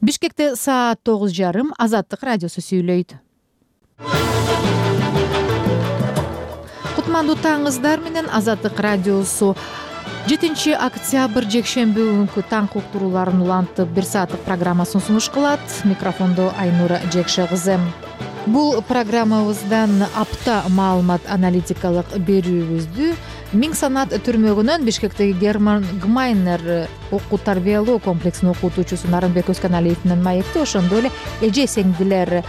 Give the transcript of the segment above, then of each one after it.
Бишкекте саат 9:30 Азаттык радиосу сүйлөйт. Кутмандуу таңыңыздар менен Азаттык радиосу 7 октябрь жекшемби күнкү таң уктурууларын улантып 1 сааттык программасын сунуш кылат. Микрофондо Айнура Жекше кызы. Бул программабыздан апта маалымат аналитикалык берүүбүздү Миң санат түрмөгүнөн Бишкектеги Герман Гмайнер окуу тарбиялоо комплексинин окутуучусу Нарынбек Өзканалиев менен маекти, ошондой эле эже сеңдилер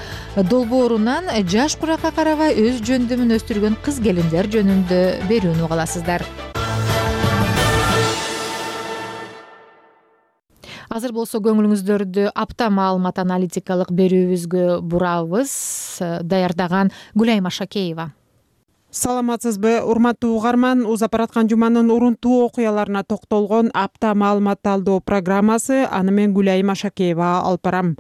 долбоорунан жаш куракка карабай өз жөндөмүн өстүргөн кыз келиндер жөнүндө берүүнү уга аласыздар. Азыр болсо көңүлүңүздөрдү апта маалымат аналитикалык берүүбүзгө бурабыз. Даярдаган Гүлайма Шакеева. Саламатсызбы, урматтуу угарман. Узап бараткан жуманын урунтуу окуяларына токтолгон апта маалымат талдоо программасы. Аны мен Гүлайма Шакеева алып барам.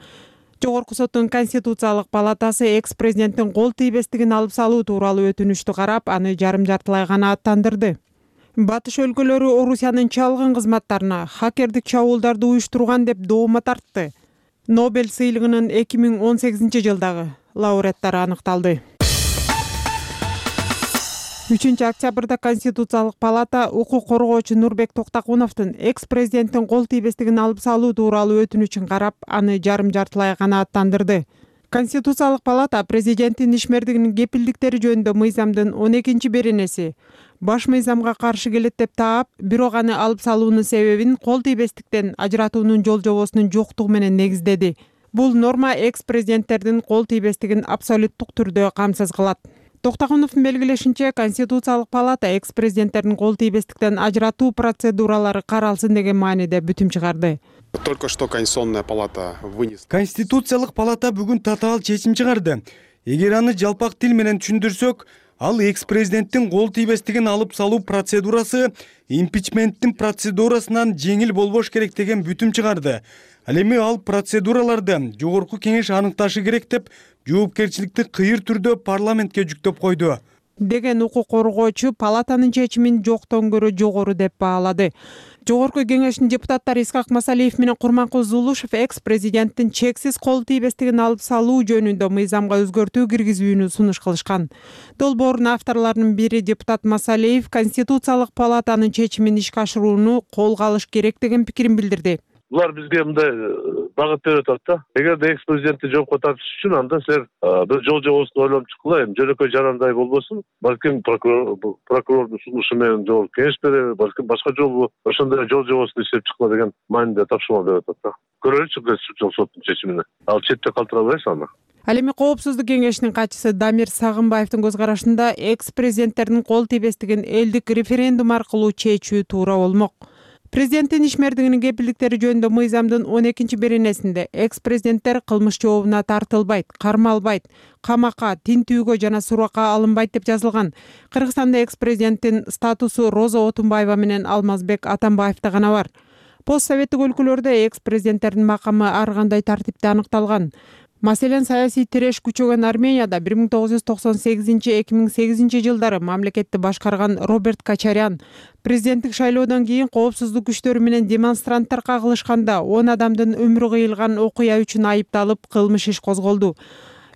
Жогорку соттун Конституциялык палатасы экс-президенттин кол тийбестигин алып салуу тууралуу өтүнүчтү карап, аны жарым-жартылай гана аттандырды. Батыш өлкөлөрү Орусиянын чалгын кызматтарына хакердик чабуулдарды уюштурган деп доома тартты. Нобель сыйлыгынын 2018-жылдагы лауреаттары аныкталды. 3-октябрда Конституциялык палата укук коргоочу Нурбек Токтакуновдун экс-президенттин кол тийбестигин алып салуу тууралуу өтүнүчүн карап, аны жарым-жартылай гана аттандырды. Конституциялык палата президенттин ишмердигинин кепилдиктери жөнүндө мыйзамдын 12-беренеси баш мыйзамга каршы келет деп таап, бирок аны алып салуунун себебин кол тийбестиктен ажыратуунун жол-жобосунун жоктугу менен негиздеди. Бул норма экс-президенттердин кол тийбестигин абсолюттук түрдө камсыз кылат. Токтакуновдун белгилешинче, Конституциялык палата экс-президенттердин кол тийбестиктен ажыратуу процедуралары каралсын деген мааниде бүтүм чыгарды. Только что Конституционная палата вынесла. Конституциялык палата бүгүн татаал чечим чыгарды. Эгер аны жалпак тил менен түшүндүрсөк, ал экс-президенттин кол тийбестигин алып салуу процедурасы импичменттин процедурасынан жеңил болбош керек деген бүтүм чыгарды. Ал эми ал процедураларды жогорку кеңеш аныкташы керек деп жоопкерчиликти кыйыр түрдө парламентке жүктөп койду деген укук коргоочу палатанын чечимин жоктон көрө жогору деп баалады. Жогорку кеңештин депутаттары Исхак Масалиев менен Курманкул Зулушев экс-президенттин чексиз кол тийбестигин алып салуу жөнүндө мыйзамга өзгөртүү киргизүүнү сунуш кылышкан. Долбоордун авторлорунун бири депутат Масалиев Конституциялык палатанын чечимин ишке ашырууну колго алыш керек деген пикирин билдирди. Булар бизге мындай багыт берип атат да. Эгерде экс-президентти жоопко тартыш үчүн анда силер бир жол-жобосун ойлонуп чыккыла, жөнөкөй жарандай болбосун. Балким прокурордун сунушу менен жогорку кеңеш береби, балким башка жолу ошондой жол-жобосун иштеп чыккыла деген мааниде тапшырма берип атат да. Көрөлүчү Конституциялык соттун чечимине. Ал четте калтырабайбыз аны. Ал эми Коопсуздук кеңешинин катчысы Дамир Сагынбаевдин көз карашында экс-президенттердин кол тийбестигин элдик референдум аркылуу чечүү туура болмок. Президенттин ишмердигинин кепилдиктери жөнүндө мыйзамдын 12-беренесинде экс-президенттер кылмыш жообуна тартылбайт, кармалбайт, камакка, тинтүүгө жана суракка алынбайт деп жазылган. Кыргызстанда экс-президенттин статусу Роза Отунбаева менен Алмазбек Атамбаевда гана бар. Постсоветтик өлкөлөрдө экс-президенттердин макамы ар кандай тартипте аныкталган. Маселен, саясий тиреш күчөгөн Арменияда 1998-2008 жылдары мамлекетти башкарган Роберт Качарян президенттик шайлоодон кийин коопсуздук күчтөрү менен демонстранттар кагылышканда 10 адамдын өмүрү кыйылган окуя үчүн айыпталып кылмыш иш козголду.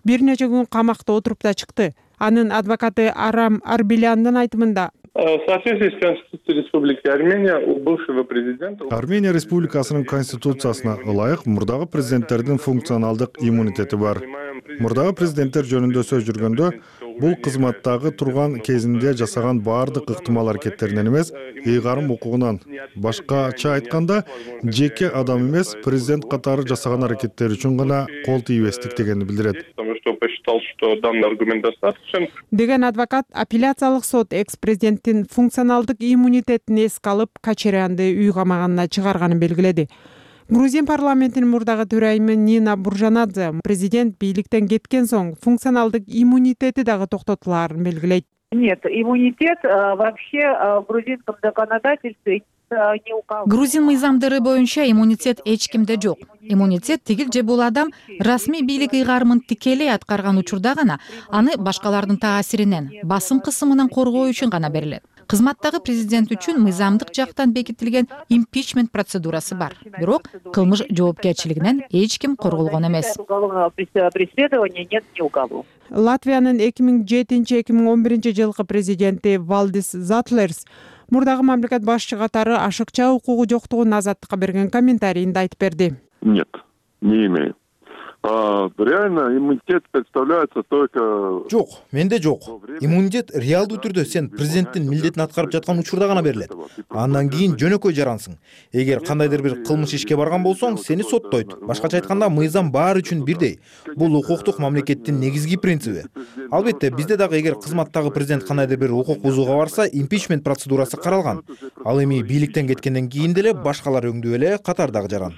Бир нече күн камакта отуруп да чыкты. Анын адвокаты Арам Арбеляндын айтымында, В соответствии с Конституцией Республики Армения у бывшего президента... Армения Республикасынын конституциясына ылайык мурдагы президенттердин функционалдык иммунитети бар. Мурдагы президенттер жөнүндө сөз жүргөндө, бул кызматтагы турган кезинде жасаган баардык ыктымал аракеттеринен эмес, ыйгарым укугунан. Башкача айтканда, жеке адам эмес, президент катары жасаган аракеттери үчүн гана кол тийбестик дегенди билдирет. Посчитал, что данный аргумент достаточен. Деген адвокат апелляциялык сот экс-президенттин функционалдык иммунитетин эске алып, Качарянды үй камаганына чыгарганын белгиледи. Грузин парламентинин мурдагы төрайымы Нина Буржанадзе президент бийликтен кеткен соң функционалдык иммунитети дагы токтотулаарын белгилейт. Нет, иммунитет вообще в грузинском законодательстве не указан. Грузин мыйзамдары боюнча иммунитет эч кимде жок. Иммунитет тигил же бул адам расмий бийлик ыйгарымын тикелей аткарган учурда гана аны башкалардын таасиринен, басым кысымынан коргоо үчүн гана берилет. Кызматтагы президент үчүн мыйзамдык жактан бекитилген импичмент процедурасы бар. Бирок кылмыш жоопкерчилигинен эч ким корголгон эмес. Латвиянын 2007-2011 жылкы президенти Валдис Затлерс мурдагы мамлекет башчы катары ашыкча укугу жоктугун азаттыкка берген комментарийинде айтып берди. Нет, не имею. Реально иммунитет представляется только... Жок, менде жок. Иммунитет реалдуу түрдө сен президенттин милдетин аткарып жаткан учурда гана берилет. Андан кийин жөнөкөй жарансың. Эгер кандайдыр бир кылмыш ишке барган болсоң, сени соттойт. Башкача айтканда, мыйзам баары үчүн бирдей. Бул укуктук мамлекеттин негизги принциби. Албетте, бизде дагы эгер кызматтагы президент кандайдыр бир укук бузууга барса, импичмент процедурасы каралган. Ал эми бийликтен кеткенден кийин деле башкалар өңдүү эле катардагы жаран.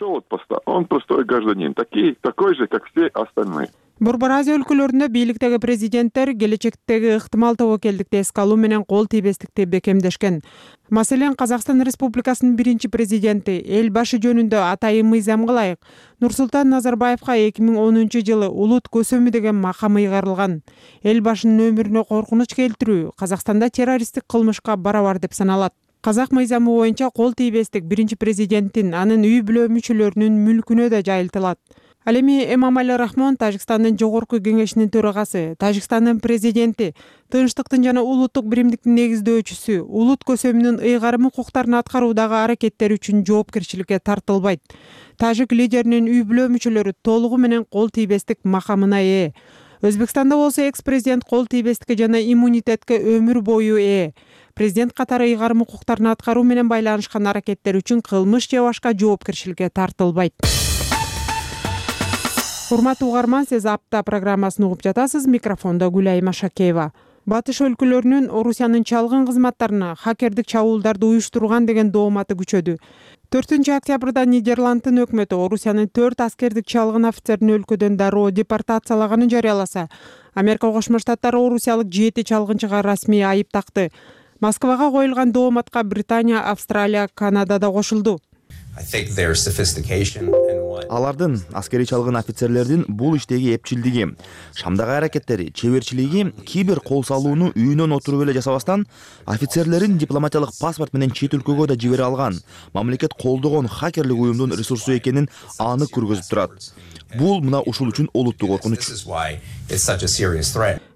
Он простой гражданин, такой же, как все остальные. Борбор Азия өлкөлөрүндө бийликтеги президенттер келечектеги ыктымал тобокелдикти эске алуу менен кол тийбестикти бекемдешкен. Маселен, Казакстан Республикасынын биринчи президенти эл башы жөнүндө атайын мыйзамга ылайык Нурсултан Назарбаевка 2010 жылы улут көсөмү деген макам ыйгарылган. Эл башынын өмүрүнө коркунуч келтирүү Казакстанда террористтик кылмышка барабар деп саналат. Казак мыйзамы боюнча кол тийбестик биринчи президенттин, анын үй бүлө мүчөлөрүнүн мүлкүнө да жайылтылат. Ал эми Эмомали Рахмон, Тажикстандын жогорку кеңешинин төрагасы, Тажикстандын президенти, тынчтыктын жана улуттук биримдиктин негиздөөчүсү, улут көсөмүнүн ыйгарым укуктарын аткаруудагы аракеттери үчүн жоопкерчиликке тартылбайт. Тажик лидеринин үй бүлө мүчөлөрү толугу менен кол тийбестик макамына ээ. Өзбекстанда болсо экс-президент кол тийбестикке жана иммунитетке өмүр бою ээ. Президент катары ыйгарым укуктарын аткаруу менен байланышкан аракеттер үчүн кылмыш же башка жоопкерчиликке тартылбайт. Урматтуу угарман, сиз апта программасын угуп жатасыз. Микрофондо Гүлайым Ашакеева. Батыш өлкөлөрүнүн Орусиянын чалгын кызматтарына хакердик чабуулдарды уюштурган деген дооматы күчөдү. 4 октябрда Нидерландтын өкмөтү Орусиянын 4 аскердик чалгын офицерин өлкөдөн дароо депортациялаганын жарыяласа, Америка Кошмо Штаттары орусиялык 7 чалгынчыга расмий айып такты. Москвага коюлган дооматка Британия, Австралия, Канада да кошулду. Алардын аскери чалгын офицерлердин бул иштеги эпчилдиги, шамдагы аракеттери, чеберчилиги кибер кол салууну үйүнөн отуруп эле жасабастан, офицерлерин дипломатиялык паспорт менен чет өлкөгө да жибере алган, мамлекет колдогон хакерлик уюмдун ресурсу экенин анык көргөзүп турат. Бул мына ушул үчүн олуттуу коркунуч.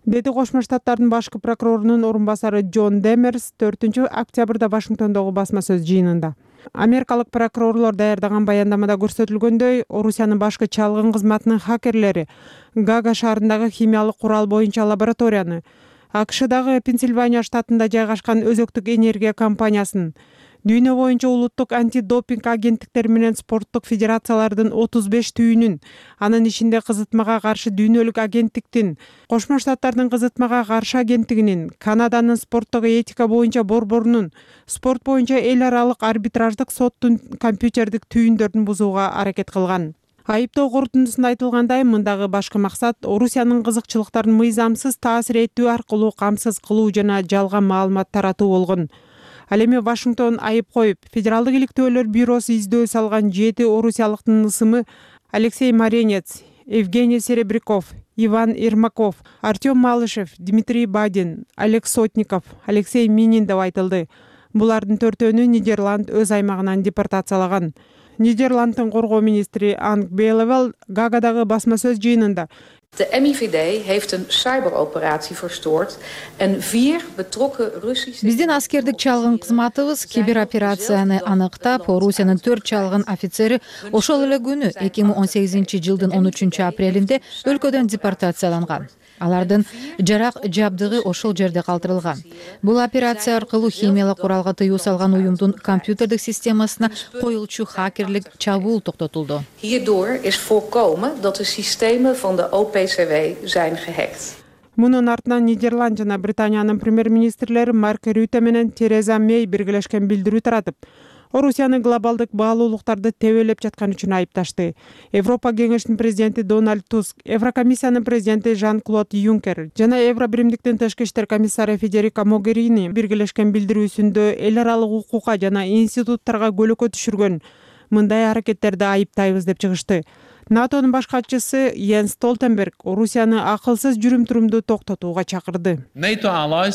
Деди Кошмо Штаттардын башкы прокурорунун орун басары Джон Демерс 4 октябрда Вашингтондогу басма сөз жыйынында. Америкалык прокурорлор даярдаган баяндамада көрсөтүлгөндөй, Орусиянын башкы чалгын кызматынын хакерлери Гага шаарындагы химиялык курал боюнча лабораторияны, АКШдагы Пенсильвания штатында жайгашкан өзөктүк энергия компаниясын, дүйнө боюнча улуттук антидопинг агенттиктери менен спорттук федерациялардын 35 түйүнүн, анын ичинде кызытмага каршы дүйнөлүк агенттиктин, Кошмо Штаттардын кызытмага каршы агенттигинин, Канаданын спорттук этика боюнча борборунун, спорт боюнча эл аралык арбитраждык соттун компьютердик түйүндөрүн бузууга аракет кылган. Айыптоо корутундусунда айтылгандай, мындагы башкы максат Орусиянын кызыкчылыктарын мыйзамсыз таасир этүү аркылуу камсыз кылуу жана жалган маалымат таратуу болгон. Ал эми Вашингтон айып коюп, Федералдык иликтөөлөр бюросу издөө салган 7 орусиялыктын ысымы Алексей Маренец, Евгений Серебряков, Иван Ермаков, Артем Малышев, Дмитрий Бадин, Олег Сотников, Алексей Минин деп айтылды. Булардын 4-өнү Нидерланд өз аймагынан депортациялаган. Нидерландтын коргоо министри Анг Белевел Гагадагы басма сөз жыйынында De MIVD heeft een cyberoperatie verstoord en 4 betrokken Russische... Биздин аскердик чалгын кызматыбыз кибероперацияны аныктап, Орусиянын 4 чалгын офицери ошол эле күнү 2018 жылдын 13 апрелинде өлкөдөн депортацияланган. Алардын жарак жабдыгы ошол жерде калтырылган. Бул операция аркылуу химиялык куралга тыюу салган уюмдун компьютердик системасына коюлчу хакерлик чабуул токтотулду. Hierdoor is voorkomen dat de systemen van de OPCW zijn gehackt. Мунун артынан Нидерланд жана Британиянын премьер-министрлери Марк Рюте менен Тереза Мей биргелешкен билдирүү таратып, Орусияны глобалдык баалуулуктарды тебелеп жаткан үчүн айыпташты. Европа кеңешинин президенти Дональд Туск, Еврокомиссиянын президенти Жан-Клод Юнкер жана Евробиримдиктин тышкы иштер комиссары Федерика Могерини биргелешкен билдирүүсүндө эл аралык укукка жана институттарга көлөкө түшүргөн, мындай аракеттерди айыптайбыз деп чыгышты. НАТОнун баш катчысы Йенс Столтенберг Орусияны акылсыз жүрүм-турумду токтотууга чакырды. НАТОго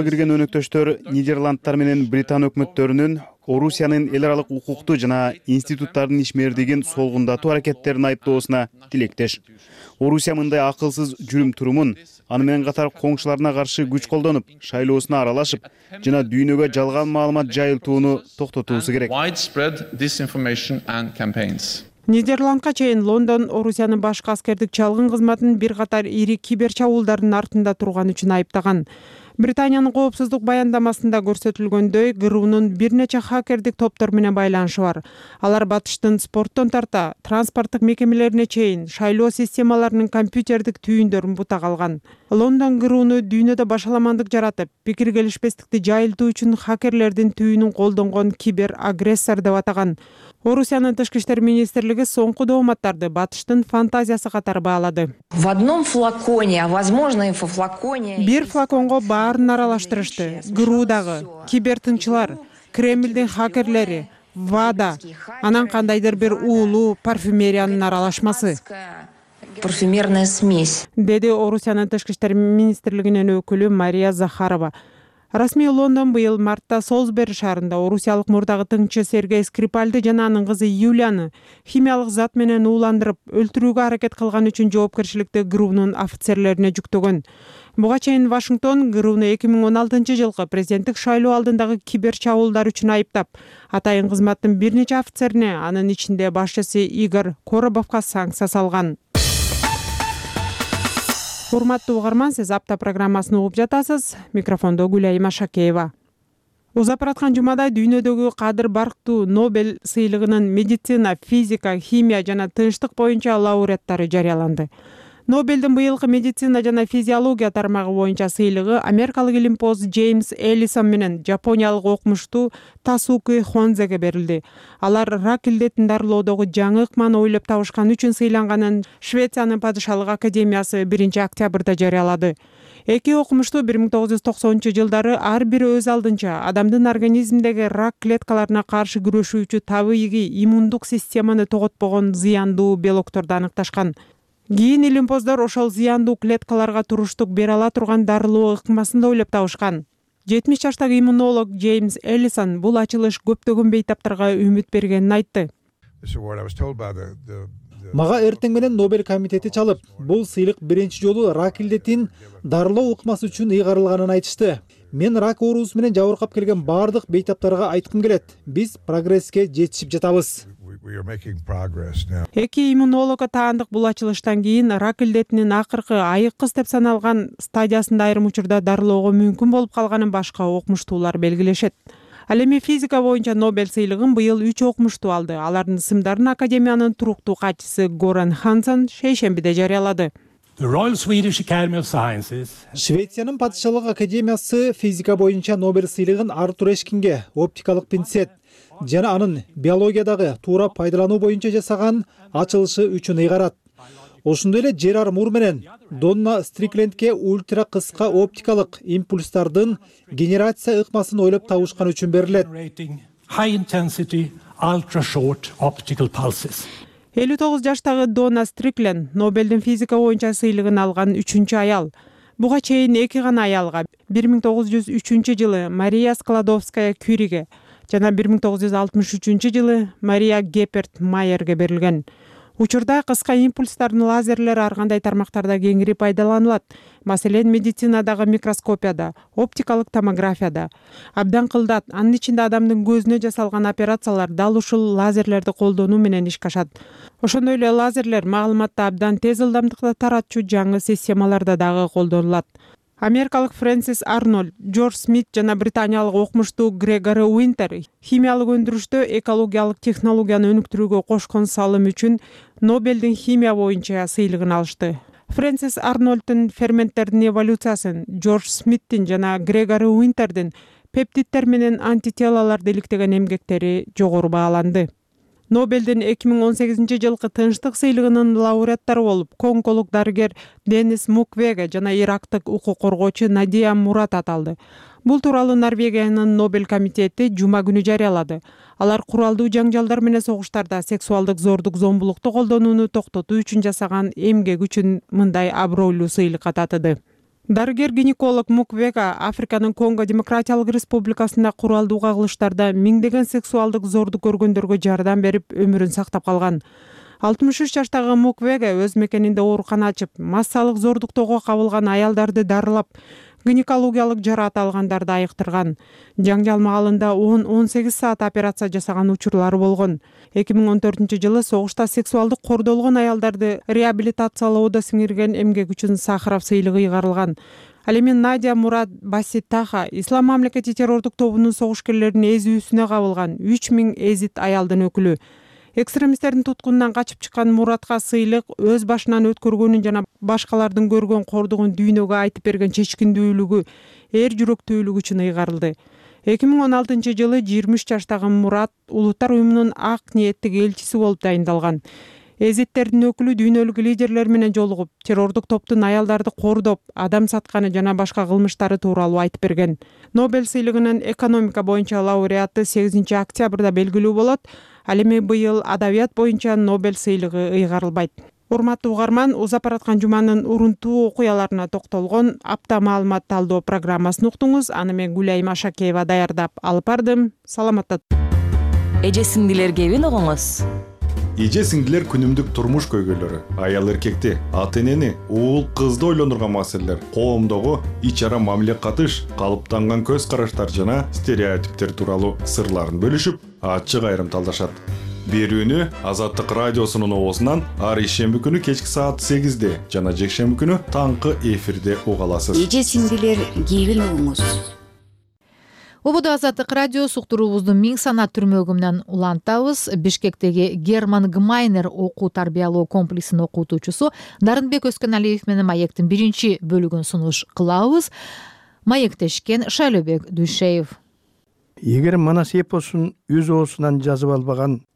кирген өнөктөштөр Нидерландтар менен Британ өкмөттөрүнүн Орусиянын эл аралык укукту жана институттардын ишмердигин солгундатуу аракеттерин айыптоосуна тилектеш. Орусия мындай акылсыз жүрүм-турумун аны менен катар коңшуларына каршы күч колдонуп, шайлоосуна аралашып жана дүйнөгө жалган маалымат жайылтууну токтотуусу керек. Нидерландка чейин Лондон Орусиянын башкы аскердик чалгын кызматын бир катар ири кибер чабуулдардын артында турган үчүн айыптаган. Британиянын коопсуздук баяндамасында көрсөтүлгөндөй, ГРУнун бир нече хакердик топтор менен байланышы бар. Алар батыштын спорттон тарта, транспорттук мекемелерине чейин шайлоо системаларынын компьютердик түйүндөрүн бутак алган. Лондон ГРУну дүйнөдө башаламандык жаратып, пикир келишпестикти жайылтуу үчүн хакерлердин түйүнүн колдонгон кибер агрессор деп атаган. Орусиянын тышкы иштер министрлиги соңку дооматтарды батыштын фантазиясы катары баалады. Бир флаконго баарын аралаштырышты. ГРУ дагы, кибертынчылар, Кремлдин хакерлери, ВАДА, анан кандайдыр бир уулуу парфюмериянын аралашмасы. Парфюмерная смесь, деди Орусиянын тышкы иштер министрлигинин өкүлү Мария Захарова. Расмий Лондон быйыл мартта Солсбери шаарында орусиялык мурдагы тыңчы Сергей Скрипальды жана анын кызы Юлияны химиялык зат менен ууландырып, өлтүрүүгө аракет кылган үчүн жоопкерчиликти ГРУнун офицерлерине жүктөгөн. Буга чейин Вашингтон ГРУну 2016-жылкы президенттик шайлоо алдындагы кибер чабуулдар үчүн айыптап, атайын кызматтын бир нече офицерине, анын ичинде башчысы Игорь Коробовго санкция салган. Урматтуу угарман, сиз апта программасын угуп жатасыз. Микрофондо Гүлайым Ашакеева. Узап бараткан жумада дүйнөдөгү кадыр барктуу Нобель сыйлыгынын медицина, физика, химия жана тынчтык боюнча лауреаттары жарыяланды. Нобелдин быйылкы медицина жана физиология тармагы боюнча сыйлыгы америкалык илимпоз Джеймс Эллисон менен жапониялык окумуштуу Тасуки Хонзеге берилди. Алар рак илдетин дарылоодогу жаңы ыкманы ойлоп табышкан үчүн сыйланганын Швециянын падышалык академиясы 1-октябрда жарыялады. Эки окумуштуу 1990-жылдары ар бири өз алдынча адамдын организминдеги рак клеткаларына каршы күрөшүүчү табигый иммундук системаны тоготпогон зыяндуу белокторду аныкташкан. Кийин илимпоздор ошол зыяндуу клеткаларга туруштук бере ала турган дарылоо ыкмасын да ойлоп табышкан. 70 жаштагы иммунолог Джеймс Эллисон бул ачылыш көптөгөн бейтаптарга үмүт бергенин айтты. Мага эртең менен Нобель комитети чалып, бул сыйлык биринчи жолу рак илдетин дарылоо ыкмасы үчүн ыйгарылганын айтышты. Мен рак оорусу менен жабыркап келген бардык бейтаптарга айткым келет. Биз прогресске жетишип жатабыз. Эки иммунологго таандык бул ачылыштан кийин рак илдетинин акыркы айыккыс деп саналган стадиясында айрым учурда дарылоого мүмкүн болуп калганын башка окумуштуулар белгилешет. Ал эми физика боюнча Нобель сыйлыгын быйыл 3 окумуштуу алды. Алардын ысымдарын академиянын туруктуу катчысы Горан Хансен шейшембиде жарыялады. Швециянын падышалык академиясы физика боюнча Нобель сыйлыгын Артур Эшкинге оптикалык пинцет жана анын биологиядагы туура пайдалануу боюнча жасаган ачылышы үчүн ыйгарат. Ошондой эле Жерар Мур менен Донна Стриклендке ультра кыска оптикалык импульстардын генерация ыкмасын ойлоп табышкан үчүн берилет. 59 жаштагы Донна Стрикленд Нобелдин физика боюнча сыйлыгын алган 3-чү аял. Буга чейин 2 гана аялга 1903-жылы Мария Складовская Кюриге жана 1963-жылы Мария Геперт Майерге берилген. Учурда кыска импульстардын лазерлери ар кандай тармактарда кеңири пайдаланылат. Маселен, медицинадагы микроскопияда, оптикалык томографияда. Абдан кылдат, анын ичинде адамдын көзүнө жасалган операциялар дал ушул лазерлерди колдонуу менен ишке ашат. Ошондой эле лазерлер маалыматты абдан тез ылдамдыкта таратчу жаңы системаларда дагы колдонулат. Америкалык Фрэнсис Арнольд, Джордж Смит жана британиялык окумуштуу Грегори Уинтер химиялык өндүрүштө экологиялык технологияны өнүктүрүүгө кошкон салым үчүн Нобелдин химия боюнча сыйлыгын алышты. Фрэнсис Арнольдтун ферменттердин эволюциясын, Джордж Смиттин жана Грегори Уинтердин пептиддер менен антителаларды иликтеген эмгектери жогору бааланды. Нобелдин 2018-жылкы тынчтык сыйлыгынын лауреаттары болуп, конголог дарыгер Денис Муквеге жана ирактык укук коргоочу Надия Мурат аталды. Бул тууралуу Норвегиянын Нобель комитети жума күнү жарыялады. Алар куралдуу жаңжалдар менен согуштарда сексуалдык зордук, зомбулукту колдонууну токтотуу үчүн жасаган эмгек үчүн мындай абройлуу сыйлыкка татыды. Дарыгер-гинеколог Муквега Африканын Конго Демократиялык Республикасында куралдуу кагылыштарда миңдеген сексуалдык зордук көргөндөргө жардам берип өмүрүн сактап калган. 63 жаштагы Муквега өз мекенинде оорукана ачып, массалык зордуктоого кабылган аялдарды дарылап, гинекологиялык жараат алгандарды айыктырган. Жаңжал маалында 10-18 саат операция жасаган учурлары болгон. 2014-жылы согушта сексуалдык кордолгон аялдарды реабилитациялоодо сиңирген эмгек үчүн Сахаров сыйлыгы ыйгарылган. Ал эми Надя Мурад Баситаха Ислам мамлекети террордук тобунун согушкерлеринин эзүүсүнө кабылган 3000 эзит аялдын өкүлү. Экстремисттердин туткунунан качып чыккан Муратка сыйлык өз башынан өткөргөнүн жана башкалардын көргөн кордугун дүйнөгө айтып берген чечкиндүүлүгү, эр жүрөктүүлүгү үчүн ыйгарылды. 2016-жылы 23 жаштагы Мурат Улуттар уюмунун ак ниеттик элчиси болуп дайындалган. Эзиттердин өкүлү дүйнөлүк лидерлер менен жолугуп, террордук топтун аялдарды кордоп, адам сатканы жана башка кылмыштары тууралуу айтып берген. Нобель сыйлыгынын экономика боюнча лауреаты 8 октябрда белгилүү болот. Ал эми быйыл адабият боюнча Нобель сыйлыгы ыйгарылбайт. Урматтуу угарман, узап бараткан жуманын урунтуу окуяларына токтолгон апта маалымат талдоо программасын уктуңуз. Аны мен Гүлайым Ашакеева даярдап алып бардым. Саламатта. Эже сиңдилер кебин угуңуз. Эже сиңдилер күнүмдүк турмуш көйгөйлөрү, аял эркекти, ата энени, уул кызды ойлондурган маселелер, коомдогу ич ара мамиле катыш, калыптанган көз караштар жана стереотиптер тууралуу сырларын бөлүшүп, ачык айрым талдашат. Берүүнү Азаттык радиосунун оозунан ар ишемби күнү кечки саат 8-де жана жекшемби күнү таңкы эфирде уга аласыз. Эже сиңдилер кебин угуңуз. Ободо Азаттык радио суктуруубузду 1000 санат түрмөгүнөн улантабыз. Бишкектеги Герман Гмайнер окуу тарбиялоо комплексинин окутуучусу Нарынбек Өскөналиев менен маектин 1 бөлүгүн сунуш кылабыз. Маектешкен Шайлообек Дүйшеев. Эгер Манас эпосун өз оосунан жазып албаган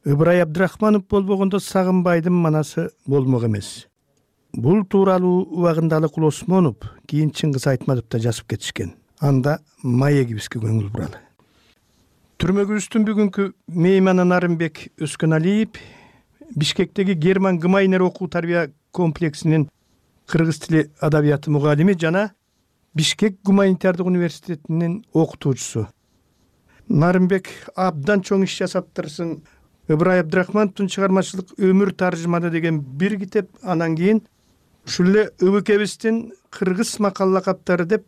Ыбырай Абдрахманов болбогондо Сагынбайдын Манасы болмок эмес. Бул тууралуу убагында Алыкул Осмонов, кийин Чыңгыз Айтматов да жазып кетишкен. Анда маегибизге көңүл буралы. Түрмөгүбүздүн бүгүнкү мейманы Нарынбек Өскөналиев Бишкектеги Герман Гмайнер окуу тарбия комплексинин кыргыз тили адабияты мугалими жана Бишкек гуманитардык университетинин окутуучусу. Нарынбек абдан чоң иш жасаптырсын. Ыбырай Абдрахмановдун чыгармачылык өмүр таржыманы деген бир китеп, анан кийин ушул эле ыбыкебиздин кыргыз макал лакаптары деп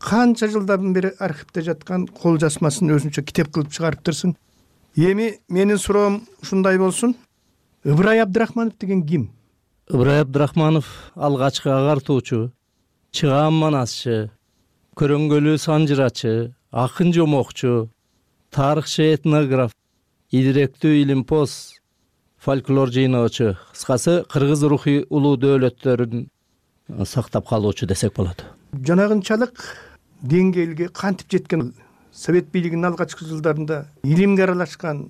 канча жылдан бери архивде жаткан кол жазмасын өзүнчө китеп кылып чыгарыптырсың. Эми менин суроом ушундай болсун. Ыбырай Абдрахманов деген ким? Ыбырай Абдрахманов алгачкы агартуучу, чыгаан манасчы, көрөңгөлүү санжырачы, акын жомокчу, тарыхчы этнограф, идиректүү илимпоз, фольклор жыйноочу, кыскасы кыргыз рухий улуу дөөлөттөрүн сактап калуучу десек болот. Жанагынчалык деңгээлге кантип жеткен? Совет бийлигинин алгачкы жылдарында илимге аралашкан.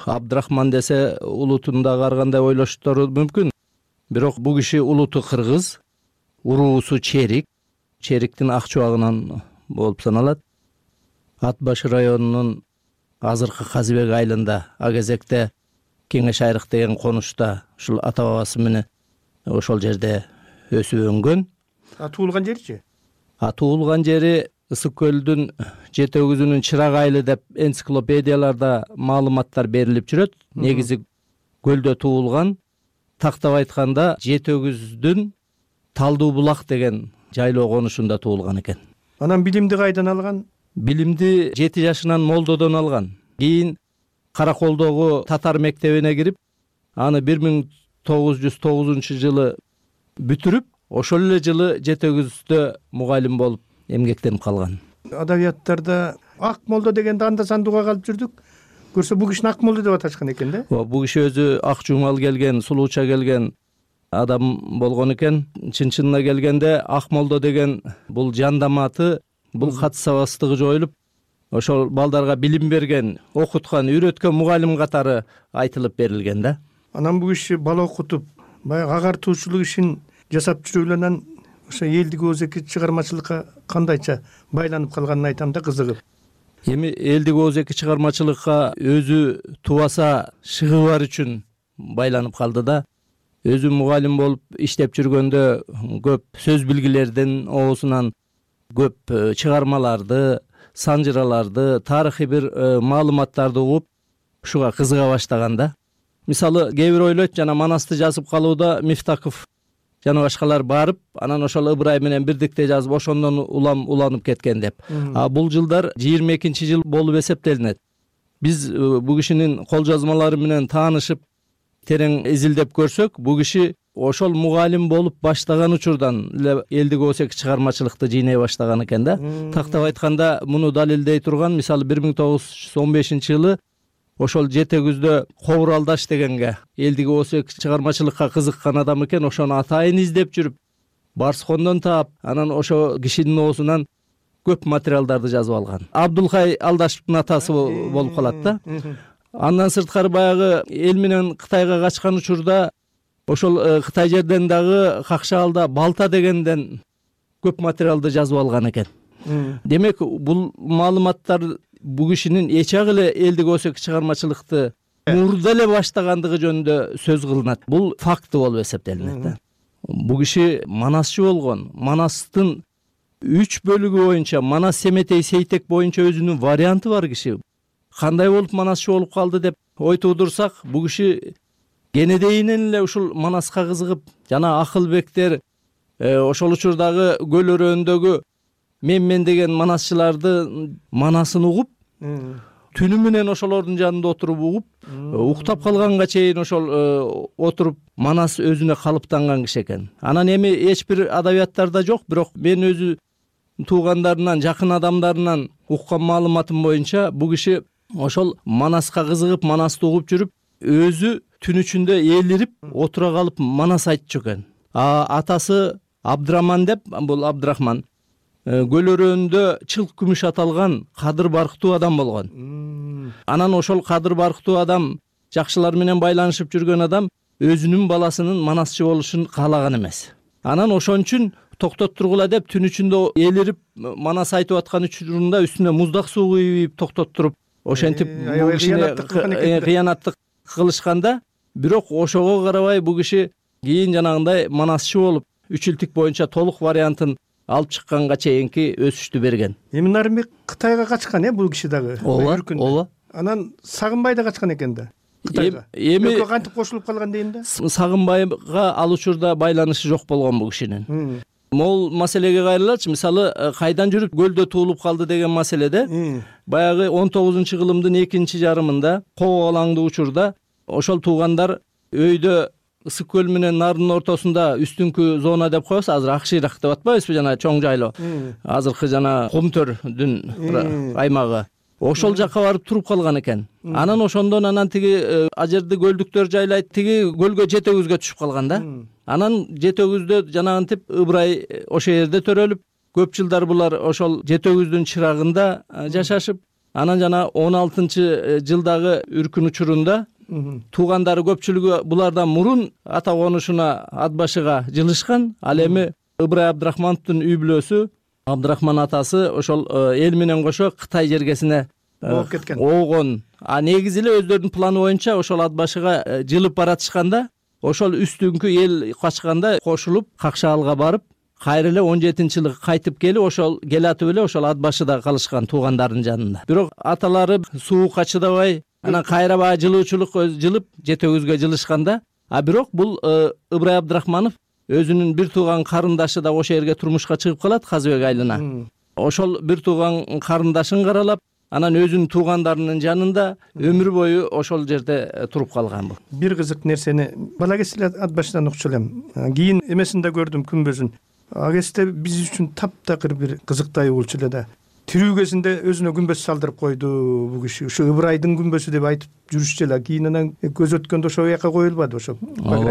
Абдрахман десе улутун да каргандай ойлоштору мүмкүн. Бирок бул киши улуту кыргыз, уруусу черик, чериктин ак чубагынан болуп саналат. Ат башы районунун азыркы Казыбек айылында, а кезекте Кеңеш Айрык деген конушта ушул ата бабасы менен ошол жерде өсүп өнгөн. Туулган жеричи? Туулган жери Ысык көлдүн жетөгүзүнүн чырак айылы деп энциклопедияларда маалыматтар берилип жүрөт. Негизи көлдө туулган. Тактап айтканда жетөгүздүн Талдуу булак деген жайлоо конушунда туулган экен. Анан билимди кайдан алган? Билимди 7 жашынан молдодон алган. Кийин Караколдогу татар мектебине кирип, аны 1909-жылы бүтүрүп, ошол эле жылы жетөгүздө мугалим болуп эмгектенип калган. Адабияттарда ак молдо дегенде анда сандууга калып жүрдүк. Көрсө бул кишини ак молдо деп аташкан экен да? Бул киши өзү ак жумал келген, сулууча келген адам болгон экен. Чын-чынына келгенде ак молдо деген бул жандаматы, бул кат сабастыгы жоюлуп, ошол балдарга билим берген, окуткан, үйрөткөн мугалим катары айтылып берилген да. Анан бул киши бала окутуп, баягы агартуучулук ишин жасап жүрүп эле анан ошо элдик оозеки чыгармачылыкка кандайча байланып калганын айтам да кызыгып. Эми элдик оозеки чыгармачылыкка өзү тубаса шыгыбар үчүн байланып калды да. Өзү мугалим болуп иштеп жүргөндө көп сөз билгилердин оозунан көп чыгармаларды, санжыраларды, тарыхый бир маалыматтарды угуп ушуга кызыга баштаган да. Мисалы, кээ бир ойлойт, жана Манасты жазып калууда Мифтаков жана башкалар барып, анан ошол Ыбырай менен бирдикте жазып, ошондон уланып кеткен деп. Бул жылдар 22-жыл болуп эсептелинет. Биз бул кишинин кол жазмалары менен таанышып, терең изилдеп көрсөк, бул киши ошол мугалим болуп баштаган учурдан эле элдик оозеки чыгармачылыкты жыйнай баштаган экен да. Тактап айтканда, муну далилдей турган, мисалы 1915-жылы ошол Жете күздө Кобуралдаш дегенге элдик оозеки чыгармачылыкка кызыккан адам экен, ошону атайын издеп жүрүп, Барскондон таап, анан ошо кишинин оозунан көп материалдарды жазып алган. Абдулхай Алдашевдин атасы болуп калат да. Андан сырткары баягы эл менен Кытайга качкан учурда ошол Кытай жерден дагы Какшаалда Балта дегенден көп материалды жазып алган экен. Демек, бул маалыматтар бул кишинин эчак эле элдик оозеки чыгармачылыкты мурда эле баштагандыгы жөнүндө сөз кылынат. Бул факты болуп эсептелинет да. Бул киши манасчы болгон. Манастын 3 бөлүгү боюнча, Манас Семетей Сейтек боюнча өзүнүн варианты бар киши. Кандай болуп манасчы болуп калды деп ой туудурсак, бул киши кенедейинен эле ушул Манаска кызыгып, жана Акылбектер ошол учурдагы көл өрөөндөгү мен деген манасчыларды манасын угуп, түнү менен ошолордун жанында отуруп угуп, уктап калганга чейин ошол отуруп Манас өзүнө калыптанган киши экен. Анан эми эч бир адабияттарда жок, бирок мен өзү туугандарынан, жакын адамдарынан уккан маалыматым боюнча, бул киши ошол Манаска кызыгып, Манасты угуп жүрүп, өзү түн ичинде ээлирип, отура калып Манас айтчу экен. Атасы Абдыраман деп, бул Абдырахман көл өрөөндө чылк күмүш аталган кадыр барктуу адам болгон. Анан ошол кадыр барктуу адам, жакшылар менен байланышып жүргөн адам өзүнүн баласынын манасчы болушун каалаган эмес. Анан ошон үчүн токтот тургула деп түн ичинде ээлирип Манас айтып аткан учурунда үстүнө муздак суу куюп токтот туруп, ошентип бул кишине кыянаттык кылышканда, бирок ошого карабай бул киши кийин жанагындай манасчы болуп, 3 жылтык боюнча толук вариантын алып чыкканга чейинки өсүштү берген. Эми Нарымбек Кытайга качкан бул киши дагы. Ооба. Анан Сагынбай да качкан экен да. Кытайга. Эми кантип кошулуп калган дейм да. Сагынбайга ал учурда байланышы жок болгон бул кишинин. Могул маселеге кайрылачы, мисалы, кайдан жүрүп көлдө туулуп калды деген маселеде, баягы 19-кылымдын 2-жарымында коогалаңдуу учурда ошол туугандар өйдө Ысык көл менен Нардын ортосунда үстүңкү зона деп коебуз, азыр Акшыйрак деп атпайбызбы, жана чоң жайлоо. Азыркы жана Кумтөрдүн аймагы. Ошол жакка барып туруп калган экен. Анан ошондон тиги ажерди көлдүктөр жайлайт, тиги көлгө Жете күзгө түшүп калган да. Анан Жете күздө жанагынтип Ыбырай ошол жерде төрөлүп, көп жылдар булар ошол Жете күздүн чырагында жашашып, анан жана 16-жылдагы үркүн учурунда туугандары көпчүлүгү булардан мурун ата конушуна ат башыга жылышкан. Ал эми Ыбырай Абдрахмановдун үй бүлөсү, Абдрахман атасы ошол эл менен кошо Кытай жергесине ооп кеткен. Оогон. Негизи эле өздөрүнүн планы боюнча ошол ат башыга жылып баратышканда, ошол үстүңкү эл качканда кошулуп Какшаалга барып, кайра эле 17-жылы кайтып келип, ошол келатып эле ошол ат башыда калышкан туугандарынын жанында. Бирок аталары суукка чыдабай, анан кайра баягы жылуучулук жылып Жете күзгө жылышканда, бирок бул Ыбырай Абдрахманов өзүнүн бир тууган карындашы да ошол жерге турмушка чыгып калат, Казыбек айылына. Ошол бир тууган карындашын каралап, анан өзүнүн туугандарынын жанында өмүр бою ошол жерде туруп калган бул. Бир кызык нерсени бала кезде ат башынан укчу элем. Кийин эмесинде көрдүм күнбөзүн. Ал кезде биз үчүн таптакыр бир кызыктуу болчу эле да. Тирүү кезинде өзүнө күмбөз салдырып койду бул киши. Ушу Ыбырайдын күмбөзү деп айтып жүрүшчү эле. Кийин анан көз өткөндө ошол жака коюлбады ошол.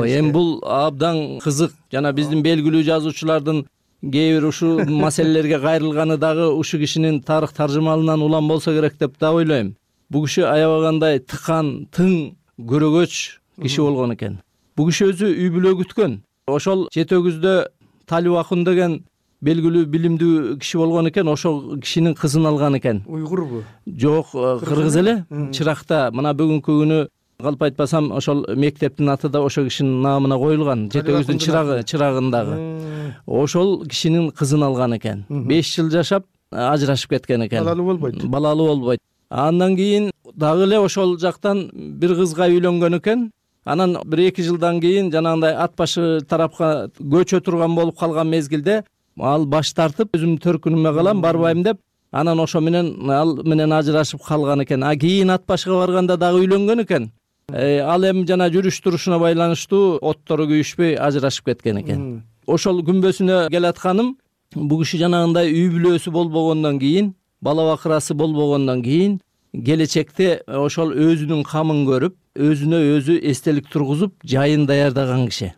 Эми бул абдан кызык. Жана биздин белгилүү жазуучулардын кээ бир ушул маселелерге кайрылганы дагы ушу кишинин тарых таржымалынан улам болсо керек деп да ойлойм. Бул киши аябагандай тыкан, тың, көрөгөч киши болгон экен. Бул киши өзү үй бүлө күткөн. Ошол Жете күздө Талибакун деген белгилүү билимдүү киши болгон экен, ошол кишинин кызын алган экен. Уйгурбу? Жок, кыргыз эле. Чыракта мына бүгүнкү күнү калп айтпасам ошол мектептин аты да ошол кишинин наамына коюлган, жетөөбүздүн чырагындагы. Ошол кишинин кызын алган экен. 5 жыл жашап ажырашып кеткен экен. Балалуу болбойт. Андан кийин дагы эле ошол жактан бир кызга үйлөнгөн экен. Анан 1-2 жылдан кийин жанагындай ат башы тарапка көчө турган болуп калган мезгилде ал баш тартып, өзүмдүн төркүнүмө калам, барбайм деп, анан ошо менен ал менен ажырашып калган экен. Кийин ат башыга барганда дагы үйлөнгөн экен. Ал эми жана жүрүш турушуна байланыштуу оттору күйүшпөй ажырашып кеткен экен. Ошол күнбөсүнө келатканым, бул киши жанагындай үй бүлөсү болбогондон кийин, бала бакырасы болбогондон кийин келечекте ошол өзүнүн камын көрүп, өзүнө өзү эстелик тургузуп, жайын даярдаган киши.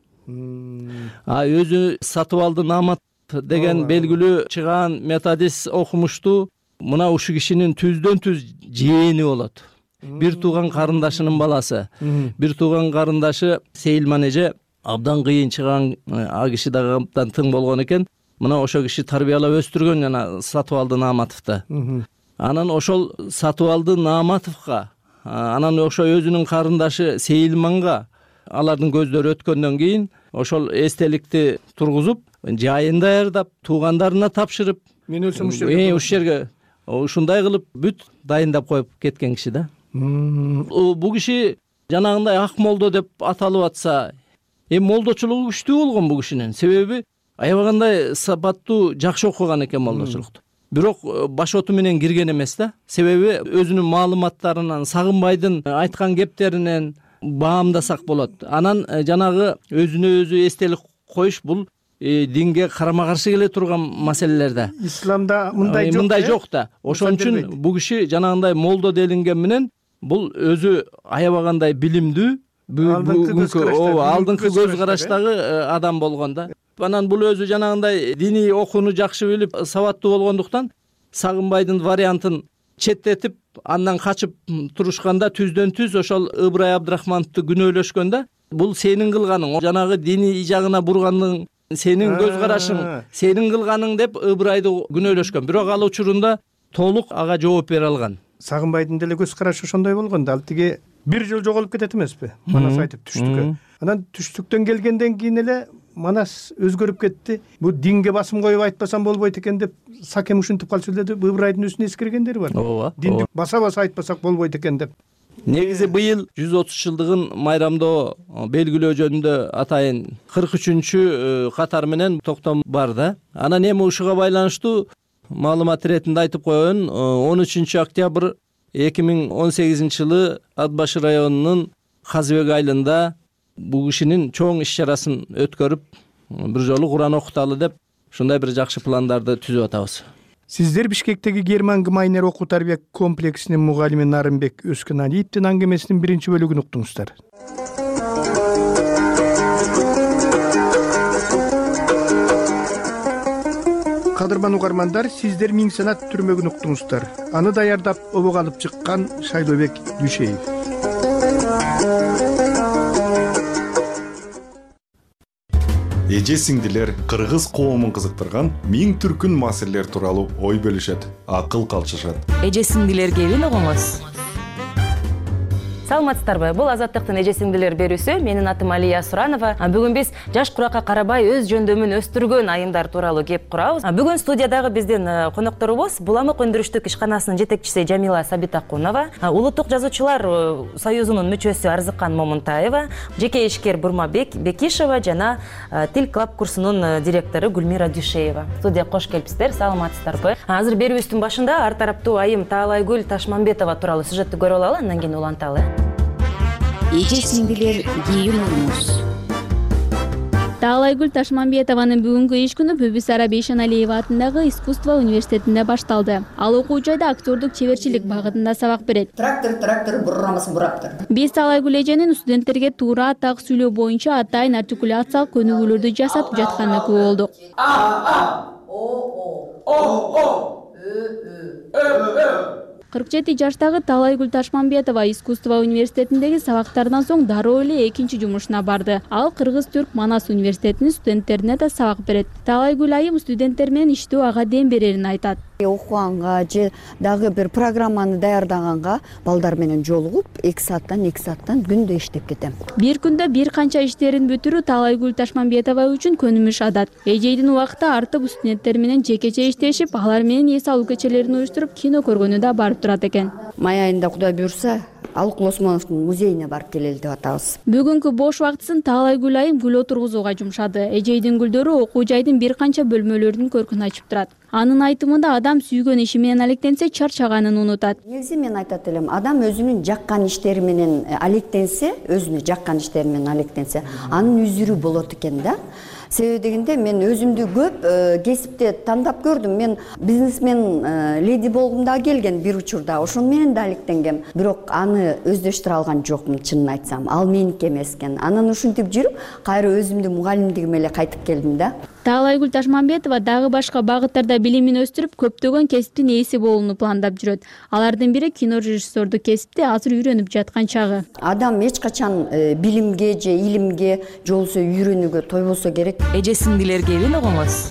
Өзү сатып алды Намат деген белгилүү чыгаан методист окумуштуу, мына ушул кишинин түздөн түз жээни болот. Бир тууган карындашынын баласы. Бир тууган карындашы Сейилман эже абдан кыйын чыган, киши дагы абдан тың болгон экен. Мына ошол киши тарбиялап өстүргөн жана сатып алды Нааматовду. Анан ошол сатып алды Нааматовго, анан ошо өзүнүн карындашы Сейилманга алардын көздөрү өткөндөн кийин ошол эстеликти тургузуп, жайын даярдап, туугандарына тапшырып, мен өлсөм ушул жерге ушундай кылып бүт дайындап коюп кеткен киши да. Бул киши жанагындай ак молдо деп аталып атса, молдочулугу күчтүү болгон бул кишинин. Себеби аябагандай сапаттуу, жакшы окуган экен молдочулукту. Бирок башоту менен кирген эмес да. Себеби өзүнүн маалыматтарынан, Сагынбайдын айткан кептеринен баамдасак болот. Анан жанагы өзүнө өзү эстелик коюш бул динге карама каршы келе турган маселелерде. Исламда мындай жок да. Ошон үчүн бул киши жанагындай молдо делинген менен бул өзү аябагандай билимдүү, алдыңкы көз караштагы адам болгон да. Анан бул өзү жанагындай диний окууну жакшы билип, сабаттуу болгондуктан Сагынбайдын вариантын четтетип, андан качып турушканда түздөн түз ошол Ыбырай Абдрахмановду күнөөлөшкөндө, бул сенин кылганың, жанагы диний жагына бургандың, сенин көз карашың, сенин кылганың деп Ыбырайды күнөөлөшкөн. Бирок ал учурунда толук ага жооп бере алган. Сагынбайдын деле көз карашы ошондой болгон да. Ал тиги бир жыл жоголуп кетет эмеспи? Манас айтып түштүккө. Анан түштүктөн келгенден кийин эле Манас өзгөрүп кетти. Бу динге басым коюп айтпасам болбойт экен деп Сакем ушинтип калчу эле деп Ыбырайдын үстүнө эскергендери бар. Динди баса-баса айтпасак болбойт экен деп. Негизи быйыл 130 жылдыгын майрамдоо белгилөө жөнүндө атайын 43-чү катар менен токтом бар да. Анан эми ушуга байланыштуу маалымат иретинде айтып коеюн. 13 октябрь 2018 жылы Ат башы районунун Казыбек айылында бул кишинин чоң иш-чарасын өткөрүп, бир жолу Куран окуталы деп ушундай бир жакшы пландарды түзүп атабыз. Сиздер Бишкектеги Герман Гмайнер окуу тарбия комплексинин мугалими Нарымбек Өскүналиевдин аңгемесинин биринчи бөлүгүн уктуңуздар. Кадырман угармандар, сиздер Миң санат түрмөгүн уктуңуздар. Аны даярдап обого алып чыккан Шайлообек Дүйшеев. Эже сиңдилер кыргыз коомун кызыктырган миң түркүн маселелер тууралуу ой бөлүшөт, акыл калчышат. Эже сиңдилер кебин угуңуз. Саламатсыздарбы? Бул Азаттыктын эже сиңдилер берүүсү. Менин атым Алия Суранова. Бүгүн биз жаш куракка карабай өз жөндөмүн өстүргөн айымдар тууралуу кеп курабыз. Бүгүн студиядагы биздин конокторубуз Буламык өндүрүштүк ишканасынын жетекчиси Жамила Сабитакунова, Улуттук жазуучулар союзунун мүчөсү Арзыкан Момунтаева, жеке ишкер Бурмабек Бекишева жана Тил клаб курсунун директору Гүлмира Дүйшеева. Студияга кош келипсиздер. Саламатсыздарбы? Азыр берүүбүздүн башында ар тараптуу айым Таалайгүл Ташмамбетова тууралуу сюжеттти көрүп алалы, андан кийин уланталы. Эже сиңдилер кийин угуңуз. Таалайгүл Ташмамбетованын бүгүнкү иш күнү Бүбүсара Бейшеналиева атындагы искусство университетинде башталды. Ал окуу жайда актёрдук чеберчилик багытында сабак берет. Трактор буррамасын бураптыр. Биз Таалайгүл эженин студенттерге туура так сүйлөө боюнча атайын артикуляциялык көнүгүүлөрдү жасатып жатканына күбө болдук. 47 жаштагы Таалайгүл Ташмамбетова искусство университетиндеги сабактарынан соң дароо эле экинчи жумушуна барды. Ал Кыргыз-Түрк Манас университетинин студенттерине да сабак берет. Таалайгүл айым студенттер менен иштөө ага дем берерин айтат. Окуганга же дагы бир программаны даярдаганга балдар менен жолугуп 2 сааттан күндө иштеп кетем. Бир күндө бир канча иштерин бүтүрүү Таалайгүл Ташмамбетова үчүн көнүмүш адат. Эжейдин убакыты артып студенттер менен жекече иштешип, алар менен эс алуу кечелерин уюштуруп, кино көргөнү да барып турат экен. Май айында Кудай буйрса, Алык Лосмоновдун музейине барып келели деп атабыз. Бүгүнкү бош убактысын Таалайгүл айым гүл отургузууга жумшады. Эжейдин гүлдөрү окуу жайдын бир канча бөлмөлөрүнүн көркүн ачып турат. Анын айтымында адам сүйгөн иши менен алектенсе, чарчаганын унутат. Негизи мен айтат элем, адам өзүнүн жаккан иштери менен алектенсе, анын үзүрү болот экен да. Себеби дегенде мен өзүмдү көп кесипте тандап көрдүм. Мен бизнесмен леди болгум да келген бир учурда. Ошон менен да алектенгем. Бирок аны өздөштүрө алган жокмун, чынын айтсам. Ал меники эмес экен. Анан ушинтип жүрүп, кайра өзүмдүн мугалимдигиме эле кайтып келдим да. Таалайгүл Ташмамбетова дагы башка багыттарда билимин өстүрүп, көптөгөн кесиптин ээси болууну пландап жүрөт. Алардын бири кино режиссердук кесипти азыр үйрөнүп жаткан чагы. Адам эч качан билимге же илимге жолсо үйрөнүүгө тойбосо керек. Эже-сиңдилерге эмне огоңуз?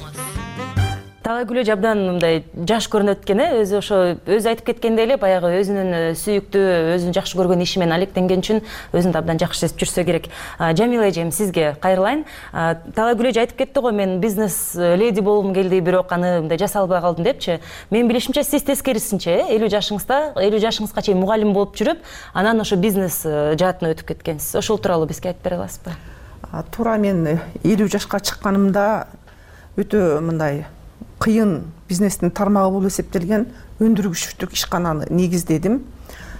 Таалайгүл эже абдан мындай жаш көрүнөт экен, өзү ошо өзү айтып кеткендей эле баягы өзүнүн сүйүктүү, өзүнүн жакшы көргөн иши менен алектенген үчүн өзүн да абдан жакшы сезип жүрсө керек. Жамила эжем, сизге кайрылайын. Таалайгүл эже айтып кетти го, мен бизнес леди болгум келди, бирок аны мындай жаса албай калдым депчи. Мен билишимче сиз тескерисинче 50 жашыңызга чейин мугалим болуп жүрүп, анан ошо бизнес жаатына өтүп кеткенсиз. Ошол тууралуу бизге айтып бере аласызбы? Туура, мен 50 жашка чыкканымда өтө мындай кыйын бизнестин тармагы болуп эсептелген өндүрүштүк ишкананы негиздедим.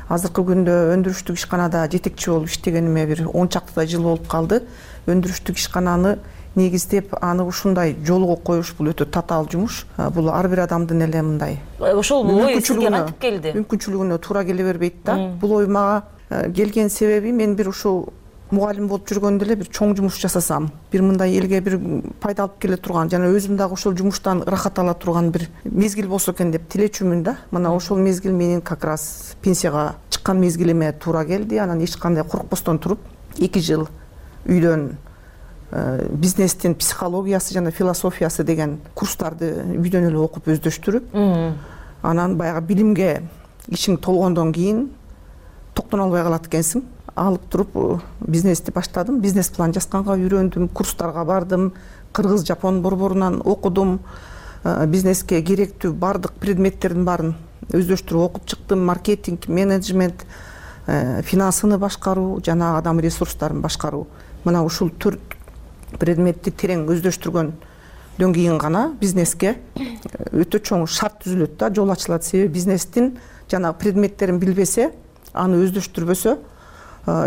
Азыркы күндө өндүрүштүк ишканада жетекчи болуп иштегениме бир 10 чакты жыл болуп калды. Өндүрүштүк ишкананы негиздеп, аны ушундай жолго коюш бул өтө татаал жумуш. Бул ар бир адамдын эле мындай ошол ой сизге кантип келди? Мүмкүнчүлүгүнө туура келе бербейт да. Бул ой мага келген себеби, мен бир ушул мугалим болуп жүргөндө эле бир чоң жумуш жасасам, бир мындай элге бир пайда алып келе турган, жана өзүм дагы ошол жумуштан ырахат ала турган бир мезгил болсо экен деп тилечүмүн да. Мына ошол мезгил менин как раз пенсияга чыккан мезгилиме туура келди. Анан эч кандай коркпостон туруп 2 жыл үйдөн бизнестин психологиясы жана философиясы деген курстарды үйдөн эле окуп өздөштүрүп, анан баягы билимге ишиң толгондон кийин токтоно албай калат экенсиң. Алып туруп бизнести баштадым. Бизнес план жазганга үйрөндүм, курстарга бардым, кыргыз, жапон борборунан окудум. Бизнеске керектүү бардык предметтердин баарын өздөштүрүп окуп чыктым. Маркетинг, менеджмент, финансыны башкаруу жана адам ресурстарын башкаруу. Мына ушул 4 предметти терең өздөштүргөндөн кийин гана бизнеске өтө чоң шарт түзүлөт да, жол ачылат. Себеби бизнестин жана предметтерин билбесе, аны өздөштүрбөсө,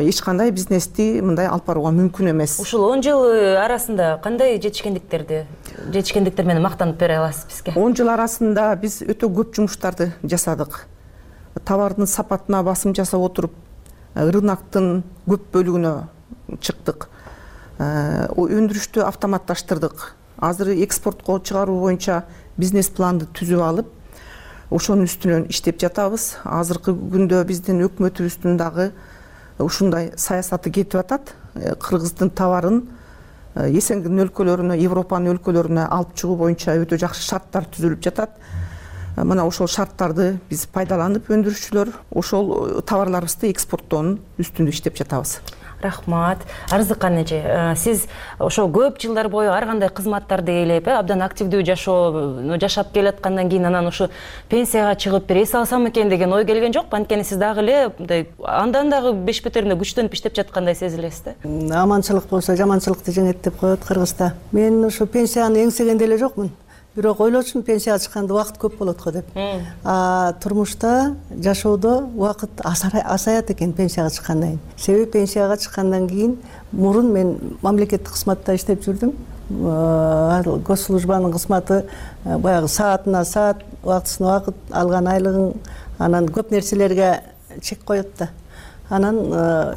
эч кандай бизнести мындай алып барууга мүмкүн эмес. Ушул 10 жыл арасында кандай жетишкендиктер менен мактанып бере аласыз бизге? 10 жыл арасында биз өтө көп жумуштарды жасадык. Товардын сапатына басым жасап отуруп, рыноктун көп бөлүгүнө чыктык. Өндүрүштү автоматташтырдык. Азыр экспортко чыгаруу боюнча бизнес планды түзүп алып, ошонун үстүнөн иштеп жатабыз. Азыркы күндө биздин өкмөтүбүздүн дагы ушундай саясаты кетип атат. Кыргыздын товарын эсенгин өлкөлөрүнө, Европанын өлкөлөрүнө алып чыгуу боюнча өтө жакшы шарттар түзүлүп жатат. Мына ошол шарттарды биз пайдаланып, өндүрүүчүлөр ошол товарларыбызды экспорттоонун үстүндө иштеп жатабыз. Рахмат. Арзыкан эже, сиз ошо көп жылдар бою ар кандай кызматтарды ээлеп, абдан активдүү жашап келаткандан кийин анан ушу пенсияга чыгып бир эс алсам экен деген ой келген жокпу? Анткени сиз дагы эле мындай андан дагы беш бетеринде күчтөнүп иштеп жаткандай сезилесиз да. Аманчылык болсо жаманчылыкты жеңет деп коет Кыргызда. Мен ушу пенсияны эңсеген деле жокмун. Бирок ойлочумун, пенсияга чыкканда убакыт көп болот го деп. Турмушта, жашоодо убакыт азаят экен пенсияга чыккандан кийин. Себеби пенсияга чыккандан кийин мурун мен мамлекеттик кызматта иштеп жүрдүм. Госслужбанын кызматы баягы саатына саат, убактысына убакыт, алган айлыгың, анан көп нерселерге чек коет да. Анан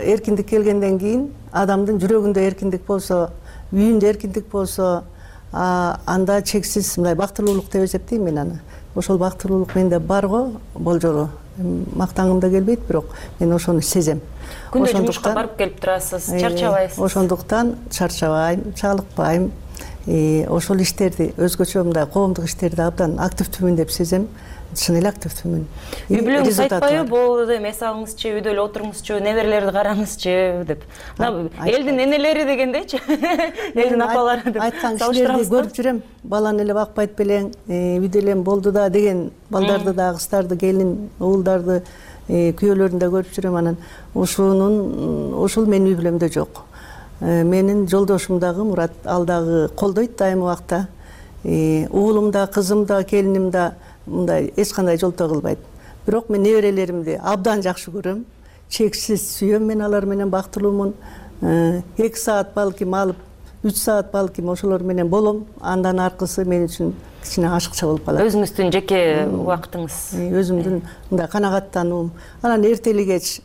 эркиндик келгенден кийин адамдын жүрөгүндө эркиндик болсо, үйүндө эркиндик болсо, анда чексиз мындай бактылуулук деп эсептейм мен аны. Ошол бактылуулук менде бар го, болжолу. мактангым да келбейт, бирок мен ошону сезем. Күндө жумушка барып келип турасыз, чарчабайсыз? Ошондуктан чарчабайм, чалыкпайм. Ошол иштерди, өзгөчө мындай коомдук иштерди абдан активдүүмүн деп сезем. Чын эле активдүүмүн. Үй бүлөңүз айтпайбы, болду эми эс алыңызчы, үйдө эле отуруңузчу, неберелерди караңызчы деп. Элдин энелери дегендейчи, элдин апалары деп айткан кишилерди көрүп жүрөм. Баланы эле бакпайт белең, үйдө эле болду да деген балдарды да, кыздарды, келин, уулдарды, күйөөлөрүн да көрүп жүрөм. Анан ушул менин үй бүлөмдө жок. Менин жолдошум дагы Мурат, ал дагы колдойт дайыма убакта. Уулум да, кызым да, келиним да мындай эч кандай жолтоо кылбайт. Бирок мен неберелеримди абдан жакшы көрөм. Чексиз сүйөм, мен алар менен бактылуумун. 2 саат балким алып, 3 саат балким ошолор менен болом. Андан аркысы мен үчүн кичине ашыкча болуп калат. Өзүңүздүн жеке убактыңыз. Өзүмдүн мындай канагаттануум. Анан эртели кеч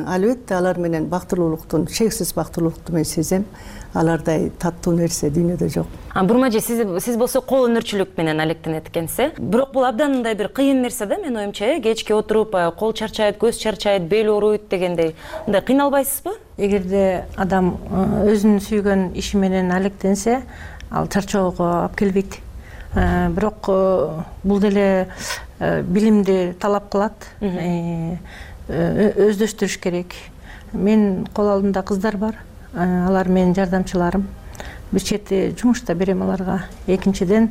албетте алар менен бактылуулуктун, чексиз бактылуулукту мен сезем. Алардай таттуу нерсе дүйнөдө жок. Бурмажи, сиз болсо кол өнөрчүлүк менен алектенет экенсиз. Бирок бул абдан мындай бир кыйын нерсе да, менин оюмча, кечке отуруп, кол чарчайт, көз чарчайт, бел ооруйт дегендей. Мындай кыйналбайсызбы? Эгерде адам өзүнүн сүйгөн иши менен алектенсе, ал чарчоого алып келбейт. Бирок бул деле билимди талап кылат, өздөштүрүш керек. Мен кол алдымда кыздар бар. Алар менин жардамчыларым. Бир чети жумуш да берем аларга. Экинчиден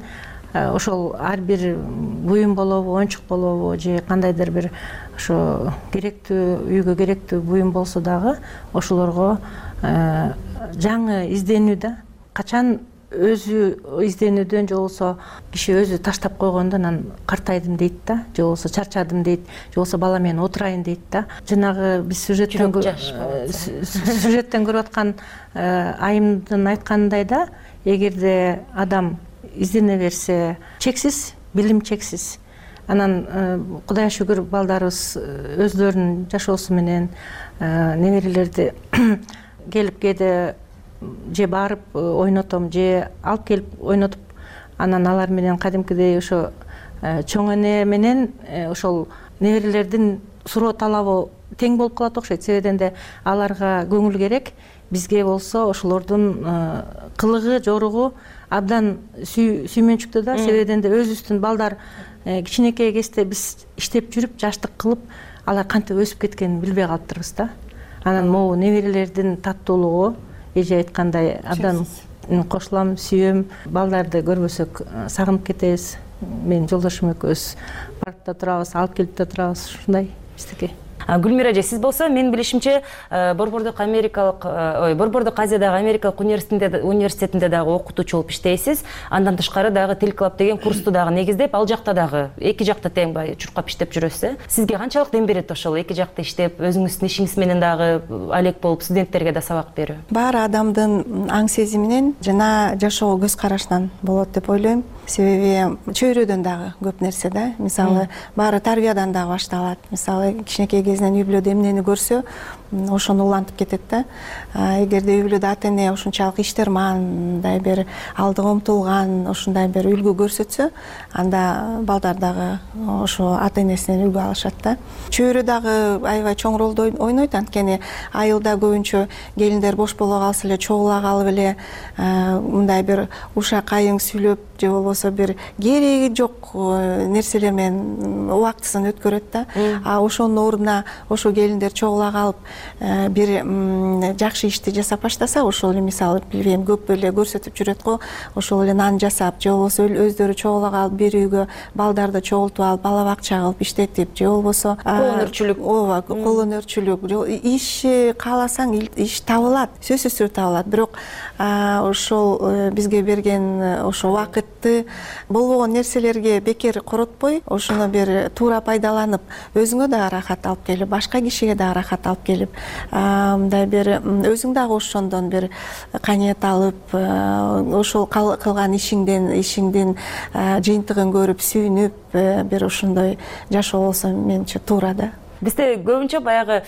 ошол ар бир буюм болобу, оюнчук болобу же кандайдыр бир ошо керектүү, үйгө керектүү буюм болсо дагы ошолорго жаңы изденүү да. Качан өзү изденүүдөн же болбосо киши өзү таштап койгондо анан картайдым дейт да, же болбосо чарчадым дейт, же болбосо бала менен отурайын дейт да. Жанагы биз сюжеттен көрүп аткан айымдын айтканындай да, эгерде адам издене берсе, чексиз, билим чексиз. Анан Кудайга шүгүр балдарыбыз өздөрүнүн жашоосу менен неберелерди келип кээде же барып ойнотом, же алып келип ойнотуп, анан алар менен кадимкидей ошо чоң эне менен ошол неберелердин суроо талабы тең болуп калат окшойт. Себебинен де аларга көңүл керек, бизге болсо ошолордун кылыгы, жоругу абдан сүймөнчүктүү да. Себебинен де өзүбүздүн балдар кичинекей кезде биз иштеп жүрүп, жаштык кылып, алар кантип өсүп кеткенин билбей калыптырбыз да. Анан могу неберелердин таттуулугу, эже айткандай, абдан кошулам, сүйөм. Балдарды көрбөсөк сагынып кетебиз. Мен жолдошум экөөбүз барып да турабыз, алып келип да турабыз, ушундай биздики. Гүлмира эже, сиз болсо менин билишимче Борбордук Азиядагы Америкалык университетинде дагы окутуучу болуп иштейсиз. Андан тышкары дагы Тил Клаб деген курсту дагы негиздеп, ал жакта дагы эки жакта тең чуркап иштеп жүрөсүз. Сизге канчалык дем берет ошол эки жакта иштеп, өзүңүздүн ишиңиз менен дагы алек болуп, студенттерге да сабак берүү? Баары адамдын аң сезиминен жана жашоого көз карашынан болот деп ойлойм. Себеби чөйрөдөн дагы көп нерсе да. Мисалы, баары тарбиядан дагы башталат. Мисалы, кичинекей кезинен үй бүлөдө эмнени көрсө, ошону улантып кетет да. Эгерде үй бүлөдө ата эне ушунчалык иштерман, мындай бир алдыга умтулган, ушундай бир үлгү көрсөтсө, анда балдар дагы ошо ата энесинен үлгү алышат да. Чөйрө дагы аябай чоң ролду ойнойт, анткени айылда көбүнчө келиндер бош боло калса эле, чогула калып эле мындай бир ушак айың сүйлөп, же болбосо бир кереги жок нерселер менен убактысын өткөрөт да. Ошонун ордуна ошо келиндер чогула калып бир жакшы ишти жасап баштаса, ошол эле мисалы билбейм, көп эле көрсөтүп жүрөт го, ошол эле нан жасап, же болбосо өздөрү чогула калып бир үйгө балдарды чогултуп алып, бала бакча кылып иштетип, же болбосо кол өнөрчүлүк, ооба, кол өнөрчүлүк, иш кааласаң иш табылат, сөзсүз түрдө табылат. Бирок ошол бизге берген ошо убакытты болбогон нерселерге бекер коротпой, ошону бир туура пайдаланып, өзүңө да ырахат алып келип, башка кишиге да ырахат алып келип, мындай бир өзүң дагы ошондон бир каниет алып, ошол кылган ишиңдин жыйынтыгын көрүп, сүйүнүп, бир ошондой жашоо болсо менимче туура да. Бизде көбүнчө баягы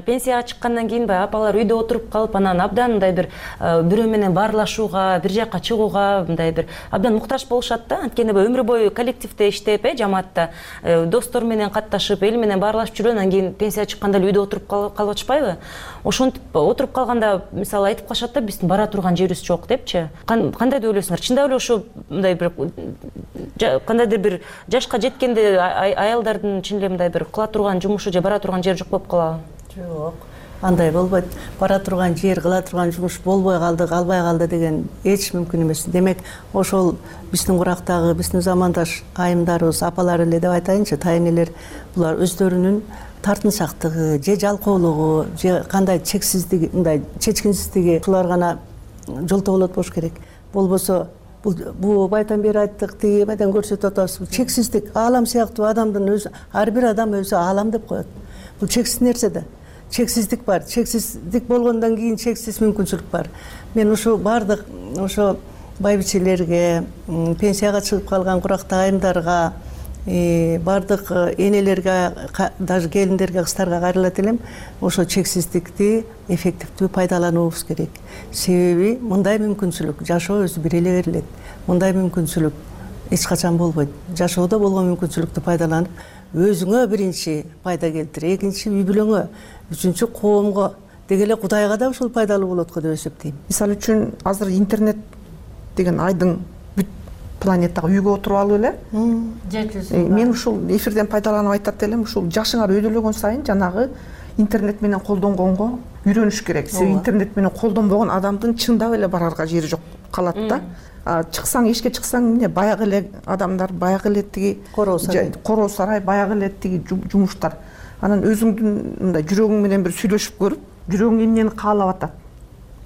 пенсияга чыккандан кийин баягы апалар үйдө отуруп калып, анан абдан мындай бир бирөө менен баарлашууга, бир жакка чыгууга мындай бир абдан муктаж болушат да. Анткени өмүр бою коллективде иштеп, жамаатта достор менен катташып, эл менен баарлашып жүрөт, анан кийин пенсияга чыкканда эле үйдө отуруп калып атышпайбы? Ошентип отуруп калганда мисалы айтып калышат да, биздин бара турган жерибиз жок депчи. Кандай деп ойлойсуңар? Чындап эле ошо мындай бир кандайдыр бир жашка жеткенде аялдардын чын эле мындай бир кыла турган жумушу же бара турган жери жок болуп калабы? Жок, андай болбойт. Бара турган жер, кыла турган жумуш болбой калды, калбай калды деген эч мүмкүн эмес. Демек, ошол биздин курактагы, биздин замандаш айымдарыбыз, апалар эле деп айтайынчы, тайнелер, булар өздөрүнүн тартынчактыгы, же жалкоолугу, же кандай чексиздиги, мындай чечкинсиздиги ушулар гана жолтоо болот болуш керек. Болбосо бул байдан бери айттык, тиги менен көрсөтүп атабыз. Чексиздик, аалам сыяктуу адамдын өзү, ар бир адам өзү аалам деп коет. Бул чексиз нерсе да. Чексиздик бар. Чексиздик болгондон кийин чексиз мүмкүнчүлүк бар. Мен ушу бардык ошо байбичелерге, пенсияга чыгып калган курактуу айымдарга, бардык энелерге, даже келиндерге, кыздарга кайрылат элем. Ошо чексиздикти эффективдүү пайдалануубуз керек. Себеби мындай мүмкүнчүлүк жашоо өзү бир эле берилет. Мындай мүмкүнчүлүк эч качан болбойт. Жашоодо болгон мүмкүнчүлүктү пайдаланып, өзүңө биринчи пайда келтир, экинчи үй бүлөңө, үчүнчү коомго, деги эле Кудайга да ушул пайдалуу болот го деп эсептейм. Мисалы үчүн азыр интернет деген айдың бүт планетага үйгө отуруп алып эле. Мен ушул эфирден пайдаланып айтат элем, ушул жашыңар өйдөлөгөн сайын жанагы интернет менен колдонгонго үйрөнүш керек. Себеби интернет менен колдонбогон адамдын чындап эле барарга жери жок калат да. Чыксаң, эшикке чыксаң, эмне баягы эле адамдар, баягы эле тиги короо сарай, баягы эле тиги жумуштар. Анан өзүңдүн мындай жүрөгүң менен бир сүйлөшүп көрүп, жүрөгүң эмнени каалап атат,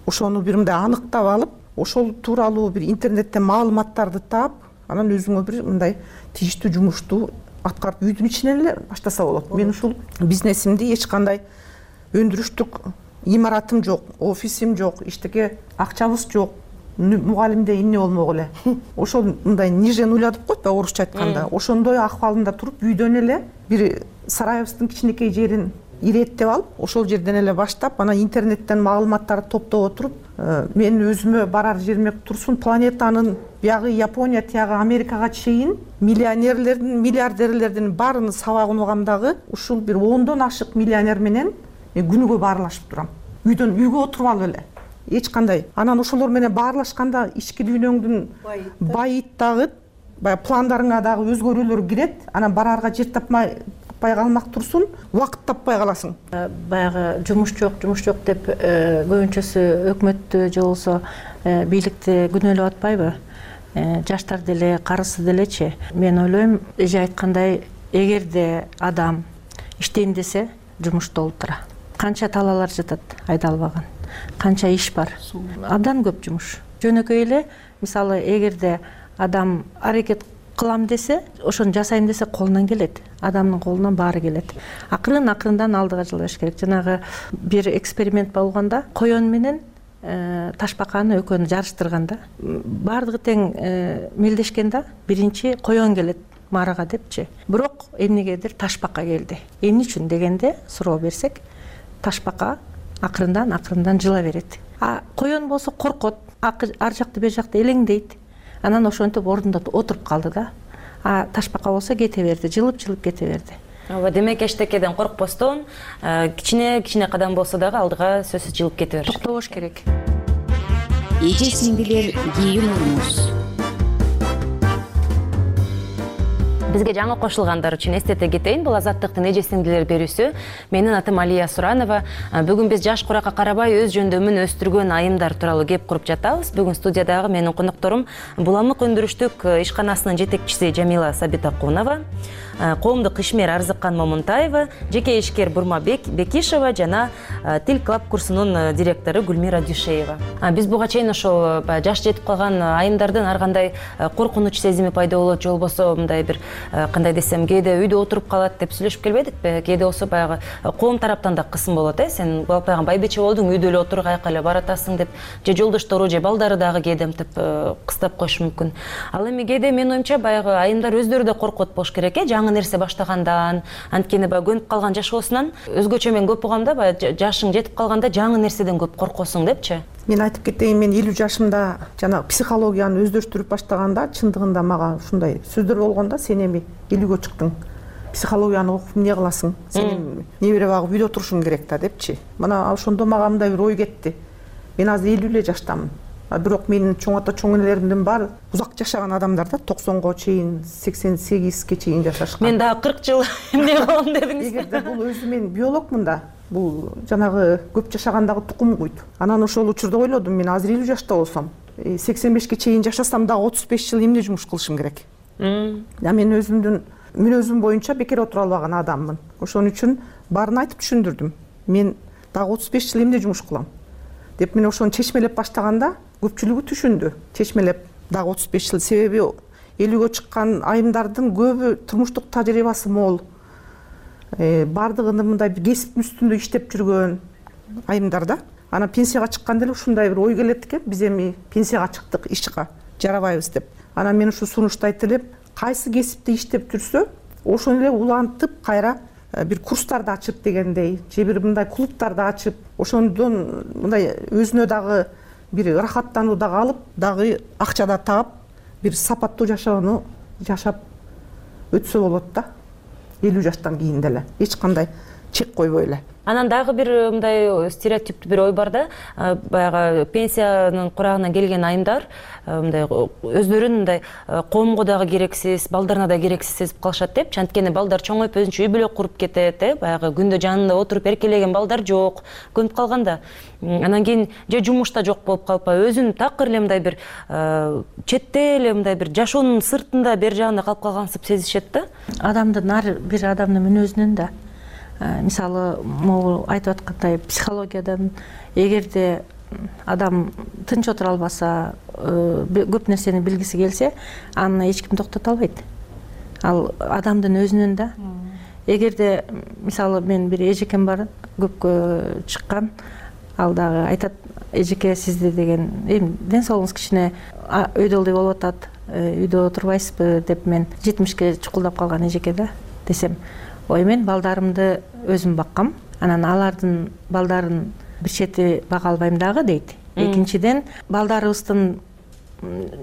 ошону бир мындай аныктап алып, ошол тууралуу бир интернеттен маалыматтарды таап, анан өзүңө бир мындай тийиштүү жумушту аткарып үйдүн ичинен эле баштаса болот. Мен ушул бизнесимди эч кандай өндүрүштүк имаратым жок, офисим жок, иштеке акчабыз жок, мугалимде эмне болмок эле. Ошол мындай ниже нуля деп коет да орусча айтканда. Ошондой акыбалында туруп үйдөн эле бир сарайыбыздын кичинекей жерин иреттеп алып, ошол жерден эле баштап, анан интернеттен маалыматтарды топтоп отуруп, мен өзүмө барар жериме турсун, планетанын биягы Япония, тиягы Америкага чейин миллионерлердин, миллиардерлердин баарын сабагынугам дагы ушул бир 10дон ашык миллионер менен күнүгө баарлашып турам. Үйгө отуруп алып эле. Эч кандай. Анан ошолор менен баарлашканда ички дүйнөңдүн байыйт дагы, баягы пландарыңа дагы өзгөрүүлөр кирет. Анан барарга жер таппай калмак турсун, убакыт таппай каласың. Баягы жумуш жок деп көбүнчөсү өкмөттү же болбосо бийликти күнөөлөп атпайбы? Жаштар деле, карысы делечи. Мен ойлойм, эже айткандай, эгерде адам иштейм десе, жумушта олтура. Канча талаалар жатат айдалбаган, канча иш бар. Абдан көп жумуш. Жөнөкөй эле, мисалы, эгерде адам аракет кылам десе, ошону жасайм десе колунан келет. Адамдын колунан баары келет. Акырындан алдыга жылыш керек. Жанагы бир эксперимент болгондо коен менен ташбаканы экөөнү жарыштырганда, баардыгы тең мелдешкен да, биринчи коен келет марага депчи. Бирок эмнегедир ташбака келди. Эмне үчүн дегенде суроо берсек, ташбака акырындан жыла берет. Коен болсо коркот, ар жакты бер жакты элеңдейт. Анан ошентип ордунда отуруп калды да. Ташбака болсо кете берди, жылып кете берди. Демек эчтекеден коркпостон, кичине кадам болсо дагы алдыга сөзсүз жылып кете бериш. Токтош керек. Эже сиңдилер, кийинүүңүз. Бизге жаңы кошулгандар үчүн эстете кетейин, бул Азаттыктын эже сиңдилер берүүсү. Менин атым Алия Суранова. Бүгүн биз жаш куракка карабай өз жөндөмүн өстүргөн айымдар тууралуу кеп куруп жатабыз. Бүгүн студиядагы менин конокторум Буламык өндүрүштүк ишканасынын жетекчиси Жамила Сабитакунова, коомдук ишмер Арзыккан Момунтаева, жеке ишкер Бурма Бекишева жана Тил Клаб курсунун директору Гүлмира Дүйшеева. Биз буга чейин ошо жаш жетип калган айымдардын ар кандай коркунуч сезими пайда болот, же болбосо мындай бир кандай десем, кээде үйдө отуруп калат деп сүйлөшүп келбедикпи? Кээде болсо баягы коом тараптан да кысым болот, сен балпайган байбече болдуң, үйдө эле отур, каяка эле баратасың деп, же жолдоштору же балдары дагы кээде мынтип кыстап коюшу мүмкүн. Ал эми кээде менин оюмча баягы айымдар өздөрү да коркот болуш керек, жаңы нерсе баштагандан, анткени баягы көнүп калган жашоосунан өзгөчө мен көп угам да, баягы жашың жетип калганда жаңы нерседен көп коркосуң депчи. Мен айтып кетейин, мен 50 жашымда жанагы психологияны өздөштүрүп баштаганда чындыгында мага ушундай сөздөр болгондо, сен эми 50гө чыктың, психологияны окуп эмне кыласың, сен небере багып үйдө отурушуң керек да депчи. Мына ошондо мага мындай бир ой кетти. Мен азыр 50 эле жаштамын. Бирок менин чоң ата чоң энелеримдин баары узак жашаган адамдар да, 90го чейин, 88ге чейин жашашкан. Мен дагы 40 жыл эмне кылам дедиңиз. Эгерде бул өзү мен биологмун да, бул жанагы көп жашагандагы тукум куйт. Анан ошол учурда ойлодум, мен азыр 50 жашта болсом, 85ке чейин жашасам дагы 35 жыл эмне жумуш кылышым керек. Мен өзүмдүн мүнөзүм боюнча бекер отура албаган адаммын. Ошон үчүн баарын айтып түшүндүрдүм. Мен дагы 35 жыл эмне жумуш кылам деп, мен ошону чечмелеп баштаганда көпчүлүгү түшүндү. Чечмелеп дагы 35 жыл, себеби 50гө чыккан айымдардын көбү турмуштук тажрыйбасы мол, бардыгында мындай бир кесиптин үстүндө иштеп жүргөн айымдар да. Анан пенсияга чыкканда эле ушундай бир ой келет экен, биз эми пенсияга чыктык, ишка жарабайбыз деп. Анан мен ушу сунушту айтып элем, кайсы кесипте иштеп жүрсө, ошону эле улантып кайра бир курстарды ачып дегендей, же бир мындай клубтарды ачып, ошондон мындай өзүнө дагы бир ырахаттануу дагы алып, дагы акча да таап, бир сапаттуу жашоону жашап өтсө болот да. 50 жаштан кийин деле эч кандай чек койбой эле. Анан дагы бир мындай стереотиптүү бир ой бар да, баягы пенсиянын курагына келген айымдар мындай өздөрүн мындай коомго дагы керексиз, балдарына да керексиз сезип калышат депчи. Анткени балдар чоңоюп өзүнчө үй бүлө куруп кетет, баягы күндө жанында отуруп эркелеген балдар жок, көнүп калганда. Анан кийин же жумушта жок болуп калпай, өзүн такыр эле мындай бир четте эле мындай бир жашоонун сыртында бер жагында калып калгансып сезишет да. Адамдын ар бир адамдын мүнөзүнөн да, мисалы могу айтып аткандай психологиядан, эгерде адам тынч отура албаса, көп нерсени билгиси келсе, аны эч ким токтото албайт. Ал адамдын өзүнөн да. Эгерде мисалы мен бир эжекем бар, көпкө чыккан, ал дагы айтат, эжеке сизди деген, эми ден соолугуңуз кичине өйдөлдөй болуп атат, үйдө отурбайсызбы деп, мен 70ке чукулдап калган эжеке да десем, ой мен балдарымды өзүм баккам, анан алардын балдарын бир чети бага албайм дагы дейт. Экинчиден, балдарыбыздын,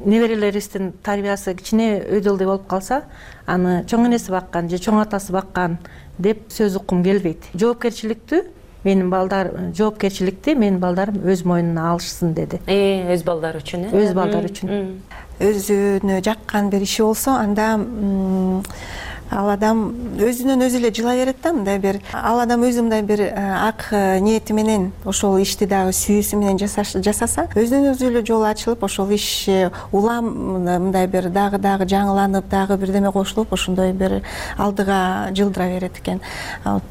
неберелерибиздин тарбиясы кичине өйдөлдөй болуп калса, аны чоң энеси баккан же чоң атасы баккан деп сөз уккум келбейт. Жоопкерчиликти менин балдарым өз мойнуна алышсын деди. Өз балдары үчүн, өз балдары үчүн. Өзүнө жаккан бир иши болсо, анда ал адам өзүнөн өзү эле жылай берет да, мындай бир ал адам өзү мындай бир ак ниети менен ошол ишти дагы сүйүүсү менен жасаса, өзүнөн өзү эле жол ачылып, ошол иш улам мындай бир дагы жаңыланып, дагы бирдеме кошулуп, ошондой бир алдыга жылдыра берет экен.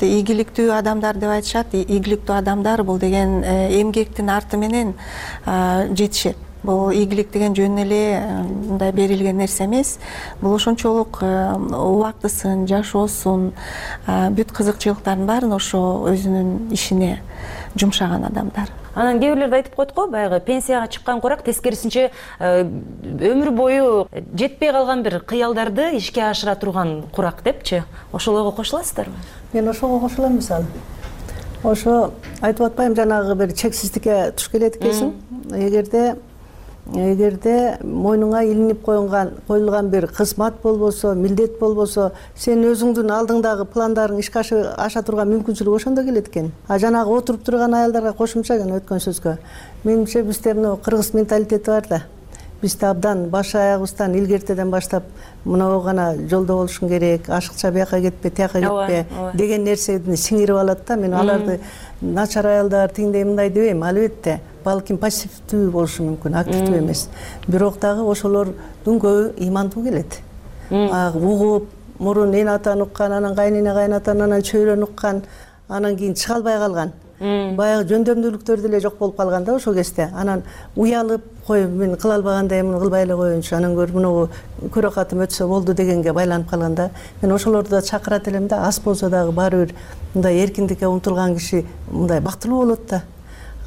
Ийгиликтүү адамдар деп айтышат, ийгиликтүү адамдар бул деген эмгектин арты менен жетишет. Бул ийгилик деген жөн эле мындай берилген нерсе эмес. Бул ошончолук убактысын, жашоосун, бүт кызыкчылыктарын баарын ошо өзүнүн ишине жумшаган адамдар. Анан кээ бирлер да айтып коет го, баягы пенсияга чыккан курак тескерисинче өмүр бою жетпей калган бир кыялдарды ишке ашыра турган курак депчи. Ошол ойго кошуласыздарбы? Мен ошого кошулам, мисалы. Ошо айтып атпайм, жанагы бир чексиздикке туш келет экенсиң. Эгерде мойнуңа илинип коюлган бир кызмат болбосо, милдет болбосо, сен өзүңдүн алдыңдагы пландарың ишке аша турган мүмкүнчүлүк ошондо келет экен. Жанагы отуруп турган аялдарга кошумча өткөн сөзгө, менимче бизде мына кыргыз менталитети бар да. Бизде абдан баш аягыбыздан илгертеден баштап мынау гана жолдо болушуң керек, ашыкча бияка кетпе, тияка кетпе деген нерсени сиңирип алат да. Мен аларды начар аялдар тигиндей мындай дебейм, албетте балким пассивдүү болушу мүмкүн, активдүү эмес. Бирок дагы ошолордун көбү ыймандуу келет. Угуп, мурун эн атаны уккан, анан кайнене кайнатаны, анан чөйрөнү уккан, анан кийин чыга албай калган. баягы жөндөмдүүлүктөр деле жок болуп калган да ошол кезде. Анан уялып, кой мен кыла албагандай эмне кылбай эле коеюнчу, анан көрүп мынабу көрөкатым өтсө болду дегенге байланып калган да. Мен ошолорду да чакырат элем да, аз болсо дагы баары бир мындай эркиндикке умтулган киши мындай бактылуу болот да.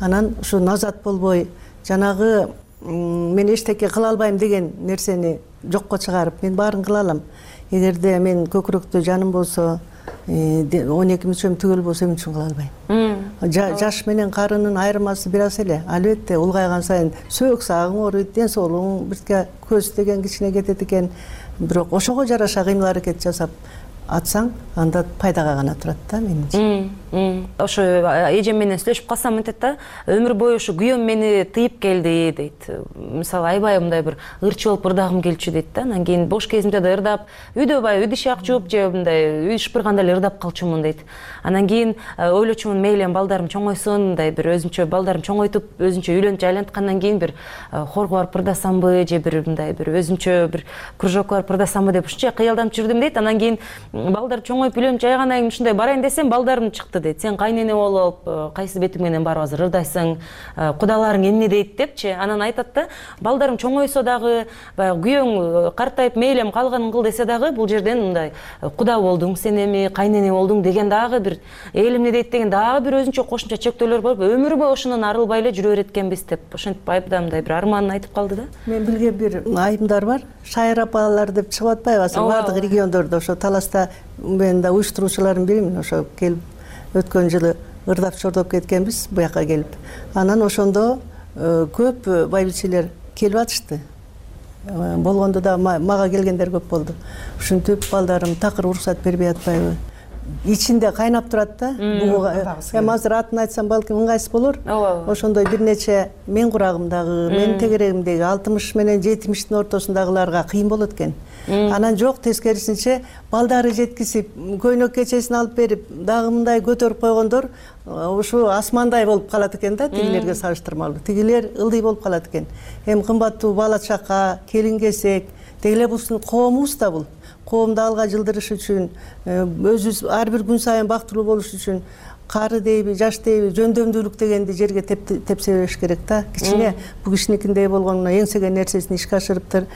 Анан ушу назат болбой, жанагы мен эчтеке кыла албайм деген нерсени жокко чыгарып, мен баарын кыла алам. Эгерде мен көкүрөктө жаным болсо, 12 мүчөм түгөл болсо эмне үчүн кыла албайм? Жаш менен карынын айырмасы бир аз эле. Албетте улгайган сайын сөөк сагың ооруйт, ден соолугуң бирке көз деген кичине кетет экен. Бирок ошого жараша кыймыл аракет жасап атсаң, анда пайдага гана турат да менимче. Ошо эжем менен сүйлөшүп калсам мынтет да, өмүр бою ушу күйөөм мени тыйып келди дейт. Мисалы аябай мындай бир ырчы болуп ырдагым келчү дейт да. Анан кийин бош кезимде да ырдап, үйдө баягы үй ишак жууп же мындай үй шыпырганда эле ырдап калчумун дейт. Анан кийин ойлочумун, мейли балдарым чоңойсун, мындай бир өзүнчө балдарым чоңойтуп, өзүнчө үйлөнүп жайланткандан кийин бир хорго барып ырдасамбы же бир мындай бир өзүнчө бир кружокко барып ырдасамбы деп ушунча кыялданып жүрдүм дейт. Анан кийин балдар чоңоюп үйлөнүп жайгандан кийин ушундай барайын десем, балдарым чыкты дейт. Сен кайнене болуп, кайсы бетиң менен барып азыр ырдайсың, кудаларың эмне дейт депчи. Анан айтат да, балдарым чоңойсо дагы, баягы күйөөң картайып мейлем калганын кыл десе дагы, бул жерден мындай куда болдуң сен эми, кайнене болдуң деген дагы бир эл эмне дейт деген дагы бир өзүнчө кошумча чектөөлөр болуп, өмүр бою ошондон арылбай эле жүрө береткенбиз деп ошентип айыптамдай бир арманын айтып калды да. Мен билген бир айымдар бар, шайыр апалар деп чыгып атпайбы, азыр бардык региондордо ошо Таласта мен да уюштуруучулардын биримин. Ошо келип өткөн жылы ырдап чордоп кеткенбиз буяка келип. Анан ошондо көп байбичелер келип атышты. Болгондо да мага келгендер көп болду. Ушинтип балдарым такыр уруксат бербей атпайбы? Ичинде кайнап турат да. Эми азыр атын айтсам балким ыңгайсыз болор. Ошондой бир нече мен курагымдагы, менин тегерегимдеги 60 менен 70-тин ортосундагыларга кыйын болот экен. Анан жок, тескерисинче балдары жеткизип, көйнөк кечесин алып берип, дагы мындай көтөрүп койгондор ушу асмандай болуп калат экен да, тигилерге салыштырмалуу. Тигилер ылдый болуп калат экен. Эми кымбаттуу бала чака, келин кесек, дегеле бул коомубуз да бул. Коомду алга жылдырыш үчүн, өзүбүз ар бир күн сайын бактылуу болуш үчүн кары дейби, жаш дейби, жөндөмдүүлүк дегенди жерге тепсе бериш керек да. Кичине бу кишиникиндей болгондо эңсеген нерсесин ишке ашырыптыр.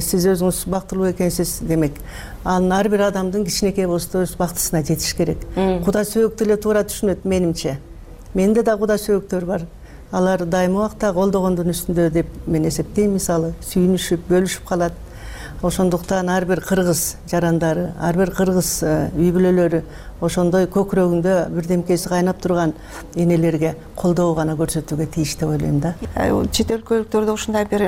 Сиз өзүңүз бактылуу экенсиз демек. Анын ар бир адамдын кичинекей болсо өз бактысына жетиш керек. Куда сөөк деле туура түшүнөт менимче. Менде да куда сөөктөр бар. Алар дайым убакта колдогондун үстүндө деп мен эсептейм. Мисалы, сүйүнүшүп, бөлүшүп калат. Ошондуктан ар бир кыргыз жарандары, ар бир кыргыз үй бүлөлөрү ошондой көкүрөгүндө бирдемкеси кайнап турган энелерге колдоо гана көрсөтүүгө тийиш деп ойлойм да. Чет өлкөлүктөрдө ушундай бир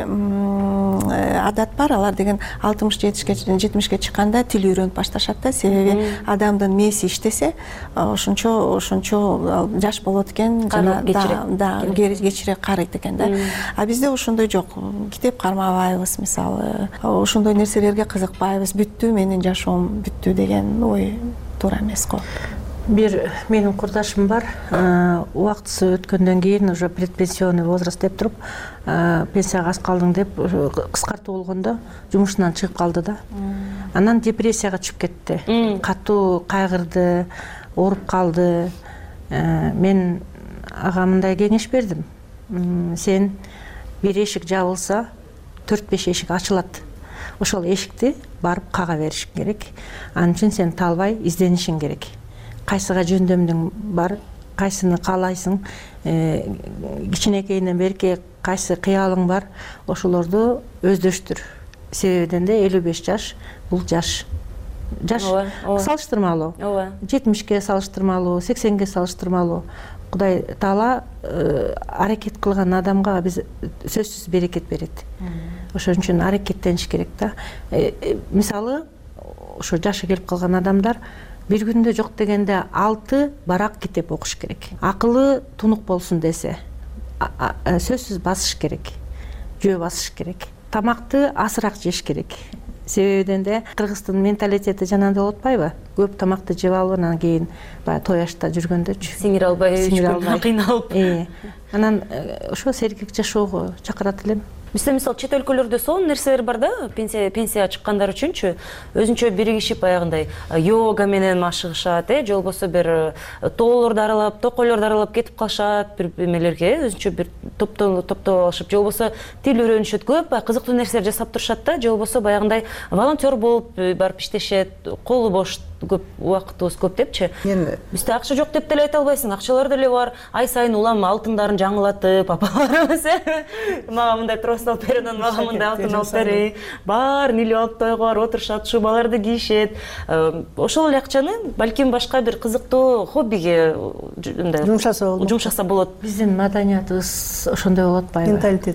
адат бар. Алар деген 60-70ке чыкканда тил үйрөнүп башташат да. Себеби адамдын мээси иштесе, ошончо жаш болот экен, жана да кечире карыйт экен да. А бизде ошондой жок. Китеп кармабайбыз, мисалы. Ошондой нерселерге кызыкпайбыз. Бүттү, менин жашоом бүттү деген ой туура эмес го. Бир менин курдашым бар. Убактысы өткөндөн кийин уже предпенсионный возраст деп туруп, пенсияга аз калдың деп кыскартуу болгондо жумушунан чыгып калды да. Анан депрессияга түшүп кетти. Катуу кайгырды, ооруп калды. Мен ага мындай кеңеш бердим. Сен бир эшик жабылса, 4-5 эшик ачылат. Ошол эшикти барып кага беришиң керек. Анын үчүн сен талбай изденишиң керек. Кайсыга жөндөмдүң бар, кайсыны каалайсың, кичинекейинен берки кайсы кыялың бар, ошолорду өздөштүр. Себебиден де 55 жаш бул жаш. Жаш салыштырмалуу. 70ке салыштырмалуу, 80ге салыштырмалуу. Кудай Таала аракет кылган адамга биз сөзсүз берекет берет. Ошон үчүн аракеттениш керек да. Мисалы, ошо жашы келип калган адамдар бир күндө жок дегенде 6 барак китеп окуш керек. Акылы тунук болсун десе, сөзсүз басыш керек. Жөө басыш керек. Тамакты азыраак жеш керек. Себебиден де кыргыздын менталитети жанагындай болуп атпайбы? Көп тамакты жеп алып, анан кийин баягы той ашта жүргөндөчү сиңире албай, кыйналып. Анан ошо сергек жашоого чакырат элем. Бизде мисалы чет өлкөлөрдө сонун нерселер бар да, пенсияга чыккандар үчүнчү өзүнчө биригишип аягындай йога менен машыгышат, же болбосо бир тоолорду аралап, токойлорду аралап кетип калышат, бир эмелерге өзүнчө бир топтоп алышып, же болбосо тил үйрөнүшөт, көп кызыктуу нерселер жасап турушат да, же болбосо баягындай волонтер болуп барып иштешет, колу бош көп, убактыбыз көп депчи. Бизде акча жок деп деле айта албайсың, акчалар деле бар. Ай сайын улам алтындарын жаңылатып, апаларыбыз мага мындай трос алып бер, мага мындай алтын алып бер. Баарын илип алып тойго барып отурушат, шубаларды кийишет. Ошол эле акчаны балким башка бир кызыктуу хоббиге жумшаса болот. Биздин маданиятыбыз ошондой болуп атпайбы?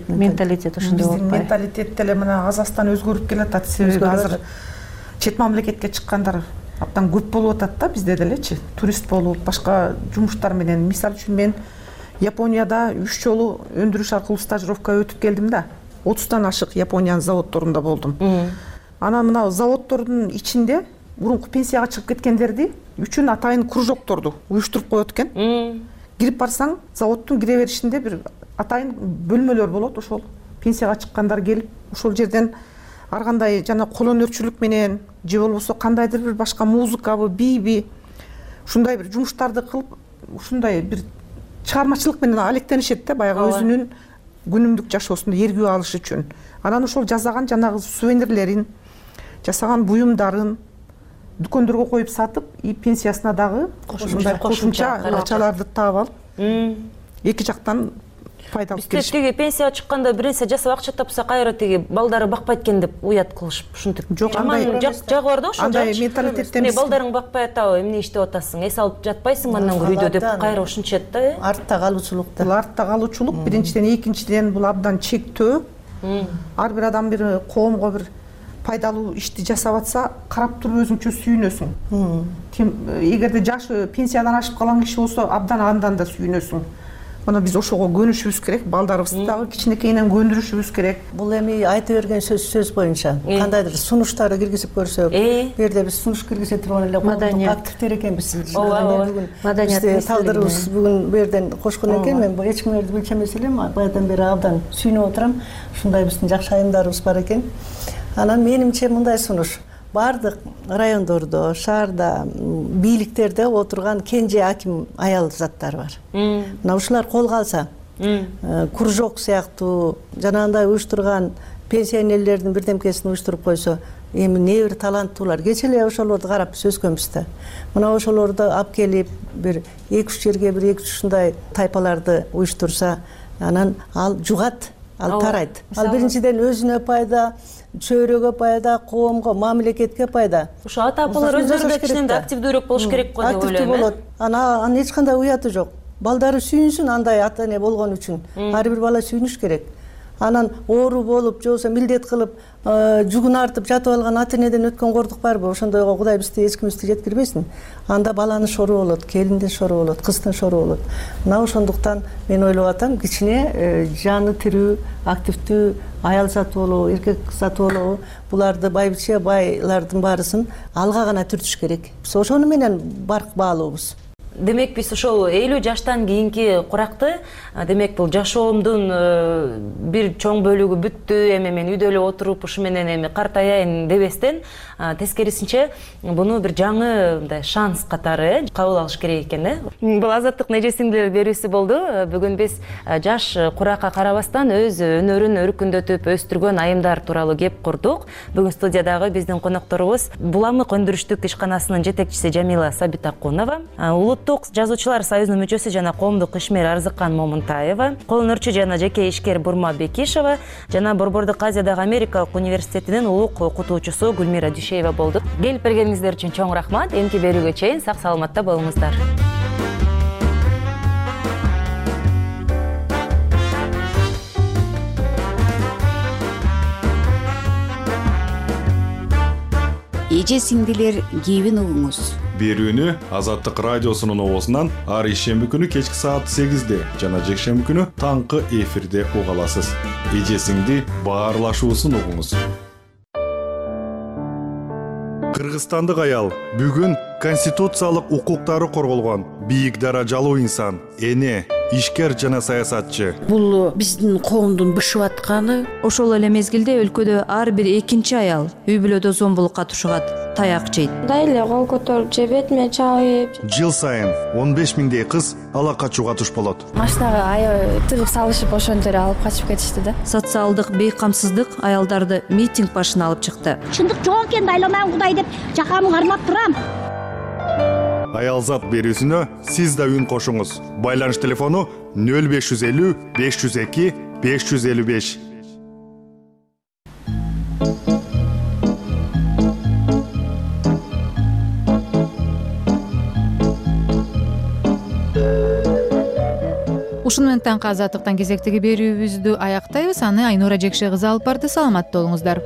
Менталитет ошондой болуп атпайбы? Менталитет деле мына Казакстан өзгөрүп келатат. Себеби азыр чет мамлекетке чыккандар абдан көп болуп атат да, бизде делечи. Турист болуп, башка жумуштар менен. Мисалы үчүн мен Японияда 3 жолу өндүрүш аркылуу стажировка өтүп келдим да. 30тан ашык Япониянын заводдорунда болдум. Анан мына заводдордун ичинде мурунку пенсияга чыгып кеткендерди үчүн атайын кружокторду уюштуруп коет экен. Кирип барсаң, заводдун кире беришинде бир атайын бөлмөлөр болот. Ошол пенсияга чыккандар келип, ошол жерден ар кандай жана кол өнөрчүлүк менен же болбосо кандайдыр бир башка музыкабы, бийби ушундай бир жумуштарды кылып, ушундай бир чыгармачылык менен алектенишет да, баягы өзүнүн күнүмдүк жашоосунда эргүү алыш үчүн. Анан ошол жасаган жанагы сувенирлерин, жасаган буюмдарын дүкөндөргө коюп сатып, и пенсиясына дагы кошумча акчаларды таап алып, эки жактан пайда алып келишет. Бизде пенсияга чыкканда бир нерсе жасап акча тапса, кайра балдары бакпайт экен деп уят кылышып, ушинтип. Жок, андай жагы бар да ошол. Андай менталитетте эмес. Балдарың бакпай атабы, эмне иштеп атасың? Эс алып жатпайсың андан көрүйдө деп кайра ушинчет да. Артта калуучулук да. Бул артта калуучулук биринчиден, экинчиден бул абдан чектөө. Ар бир адам бир коомго бир пайдалуу ишти жасап атса, карап туруп өзүңчө сүйүнөсүң. Эгерде жашы пенсиядан ашып калган киши болсо, абдан андан да сүйүнөсүң. Мына биз ошого көнүшүбүз керек, балдарыбызды дагы кичинекейинен көндүрүшүбүз керек. Бул эми айта берген сөз боюнча кандайдыр сунуштарды киргизип көрсөк, бу жерде биз сунуш киргизе турган эле коомдук активдер экенбиз. Бизде талдырыбыз бүгүн бу жерден кошкон экен. Мен эч кимдерди билчү эмес элем, баягыдан бери абдан сүйүнүп отурам. Ушундай биздин жакшы айымдарыбыз бар экен. Анан менимче мындай сунуш: баардык райондордо, шаарда, бийликтерде отурган кенже аким аял заттар бар. Мына ушулар колго алса, кружок сыяктуу жанагындай уюштурган пенсионерлердин бирдемкесин уюштуруп койсо, эми не бир таланттуулар. Кечээ эле ошолорду карап биз өскөнбүз да. Мына ошолорду алып келип, бир 2-3 жерге бир 2-3 ушундай тайпаларды уюштурса, анан ал жугат, ал тарайт. Ал биринчиден өзүнө пайда, чөйрөгө пайда, коомго, мамлекетке пайда. Ошо ата-апалар өздөрү да кичинен да активдүүрөөк болуш керек го деп ойлойм. Болот. Анан эч кандай уяты жок. Балдары сүйүнсүн андай ата-эне болгон үчүн. Ар бир бала сүйүнүш керек. Анан оору болуп, же болбосо милдет кылып, жүгүн артып жатып алган ата-энеден өткөн кордук барбы? Ошондойго Кудай бизди эч кимибизди жеткирбесин. Анда баланын шору болот, келиндин шору болот, кыздын шору болот. Мына ошондуктан мен ойлоп атам, кичине жаны тирүү, активдүү аял заты болобу, эркек заты болобу, буларды байбиче байлардын баарысын алга гана түртүш керек. Биз ошону менен барк баалуубуз. Демек биз ошол 50 жаштан кийинки куракты, демек бул жашоомдун бир чоң бөлүгү бүттү, эми мен үйдө эле отуруп ушу менен эми картаяйын дебестен, тескерисинче буну бир жаңы мындай шанс катары кабыл алыш керек экен, Бул Азаттык Неже сиңдилер берүүсү болду. Бүгүн биз жаш куракка карабастан өз өнөрүн өркүндөтүп өстүргөн айымдар тууралуу кеп курдук. Бүгүн студиядагы биздин конокторубуз Буламык өндүрүштүк ишканасынын жетекчиси Жамила Сабитакунова, Улуттук жазуучулар союзунун мүчөсү жана коомдук ишмер Арзыкан Момунтаева, кол өнөрчү жана жеке ишкер Бурма Бекишева жана Борбордук Азиядагы Америкалык университетинин улук окутуучусу Гүлмира Дүйшеева болду. Келип бергениңиздер үчүн чоң рахмат. Эмки берүүгө чейин сак саламатта болуңуздар. Эже сиңдилер кийбин угуңуз. Берүүнү Азаттык радиосунун оозунан ар ишемби күнү кечки саат 8-де жана жекшемби күнү таңкы эфирде уга аласыз. Эже сиңди баарлашуусун угуңуз. Кыргызстандык аял бүгүн конституциялык укуктары корголгон бийик даражалуу инсан, эне, ишкер жана саясатчы. Бул биздин коомдун бышып атканы. Ошол эле мезгилде өлкөдө ар бир экинчи аял үй бүлөдө зомбулукка тушугат, таяк жейт. Мындай эле кол көтөрүп же бетиме чабып. Жыл сайын 15 миңдей кыз ала качууга туш болот. Машинага аябай тыгып салышып ошондо эле алып качып кетишти да. Социалдык бейкамсыздык аялдарды митинг башына алып чыкты. Чындык жок экен, айланам Кудай деп жакамды кармап турам. Аялзат берүүсүнө сиз да үн кошуңуз. Байланыш телефону 0550 502 555. Ушуну менен таңкы азаттыктан кезектеги берүүбүздү аяктайбыз. Аны Айнура Жекше кызы алып барды. Саламатта болуңуздар.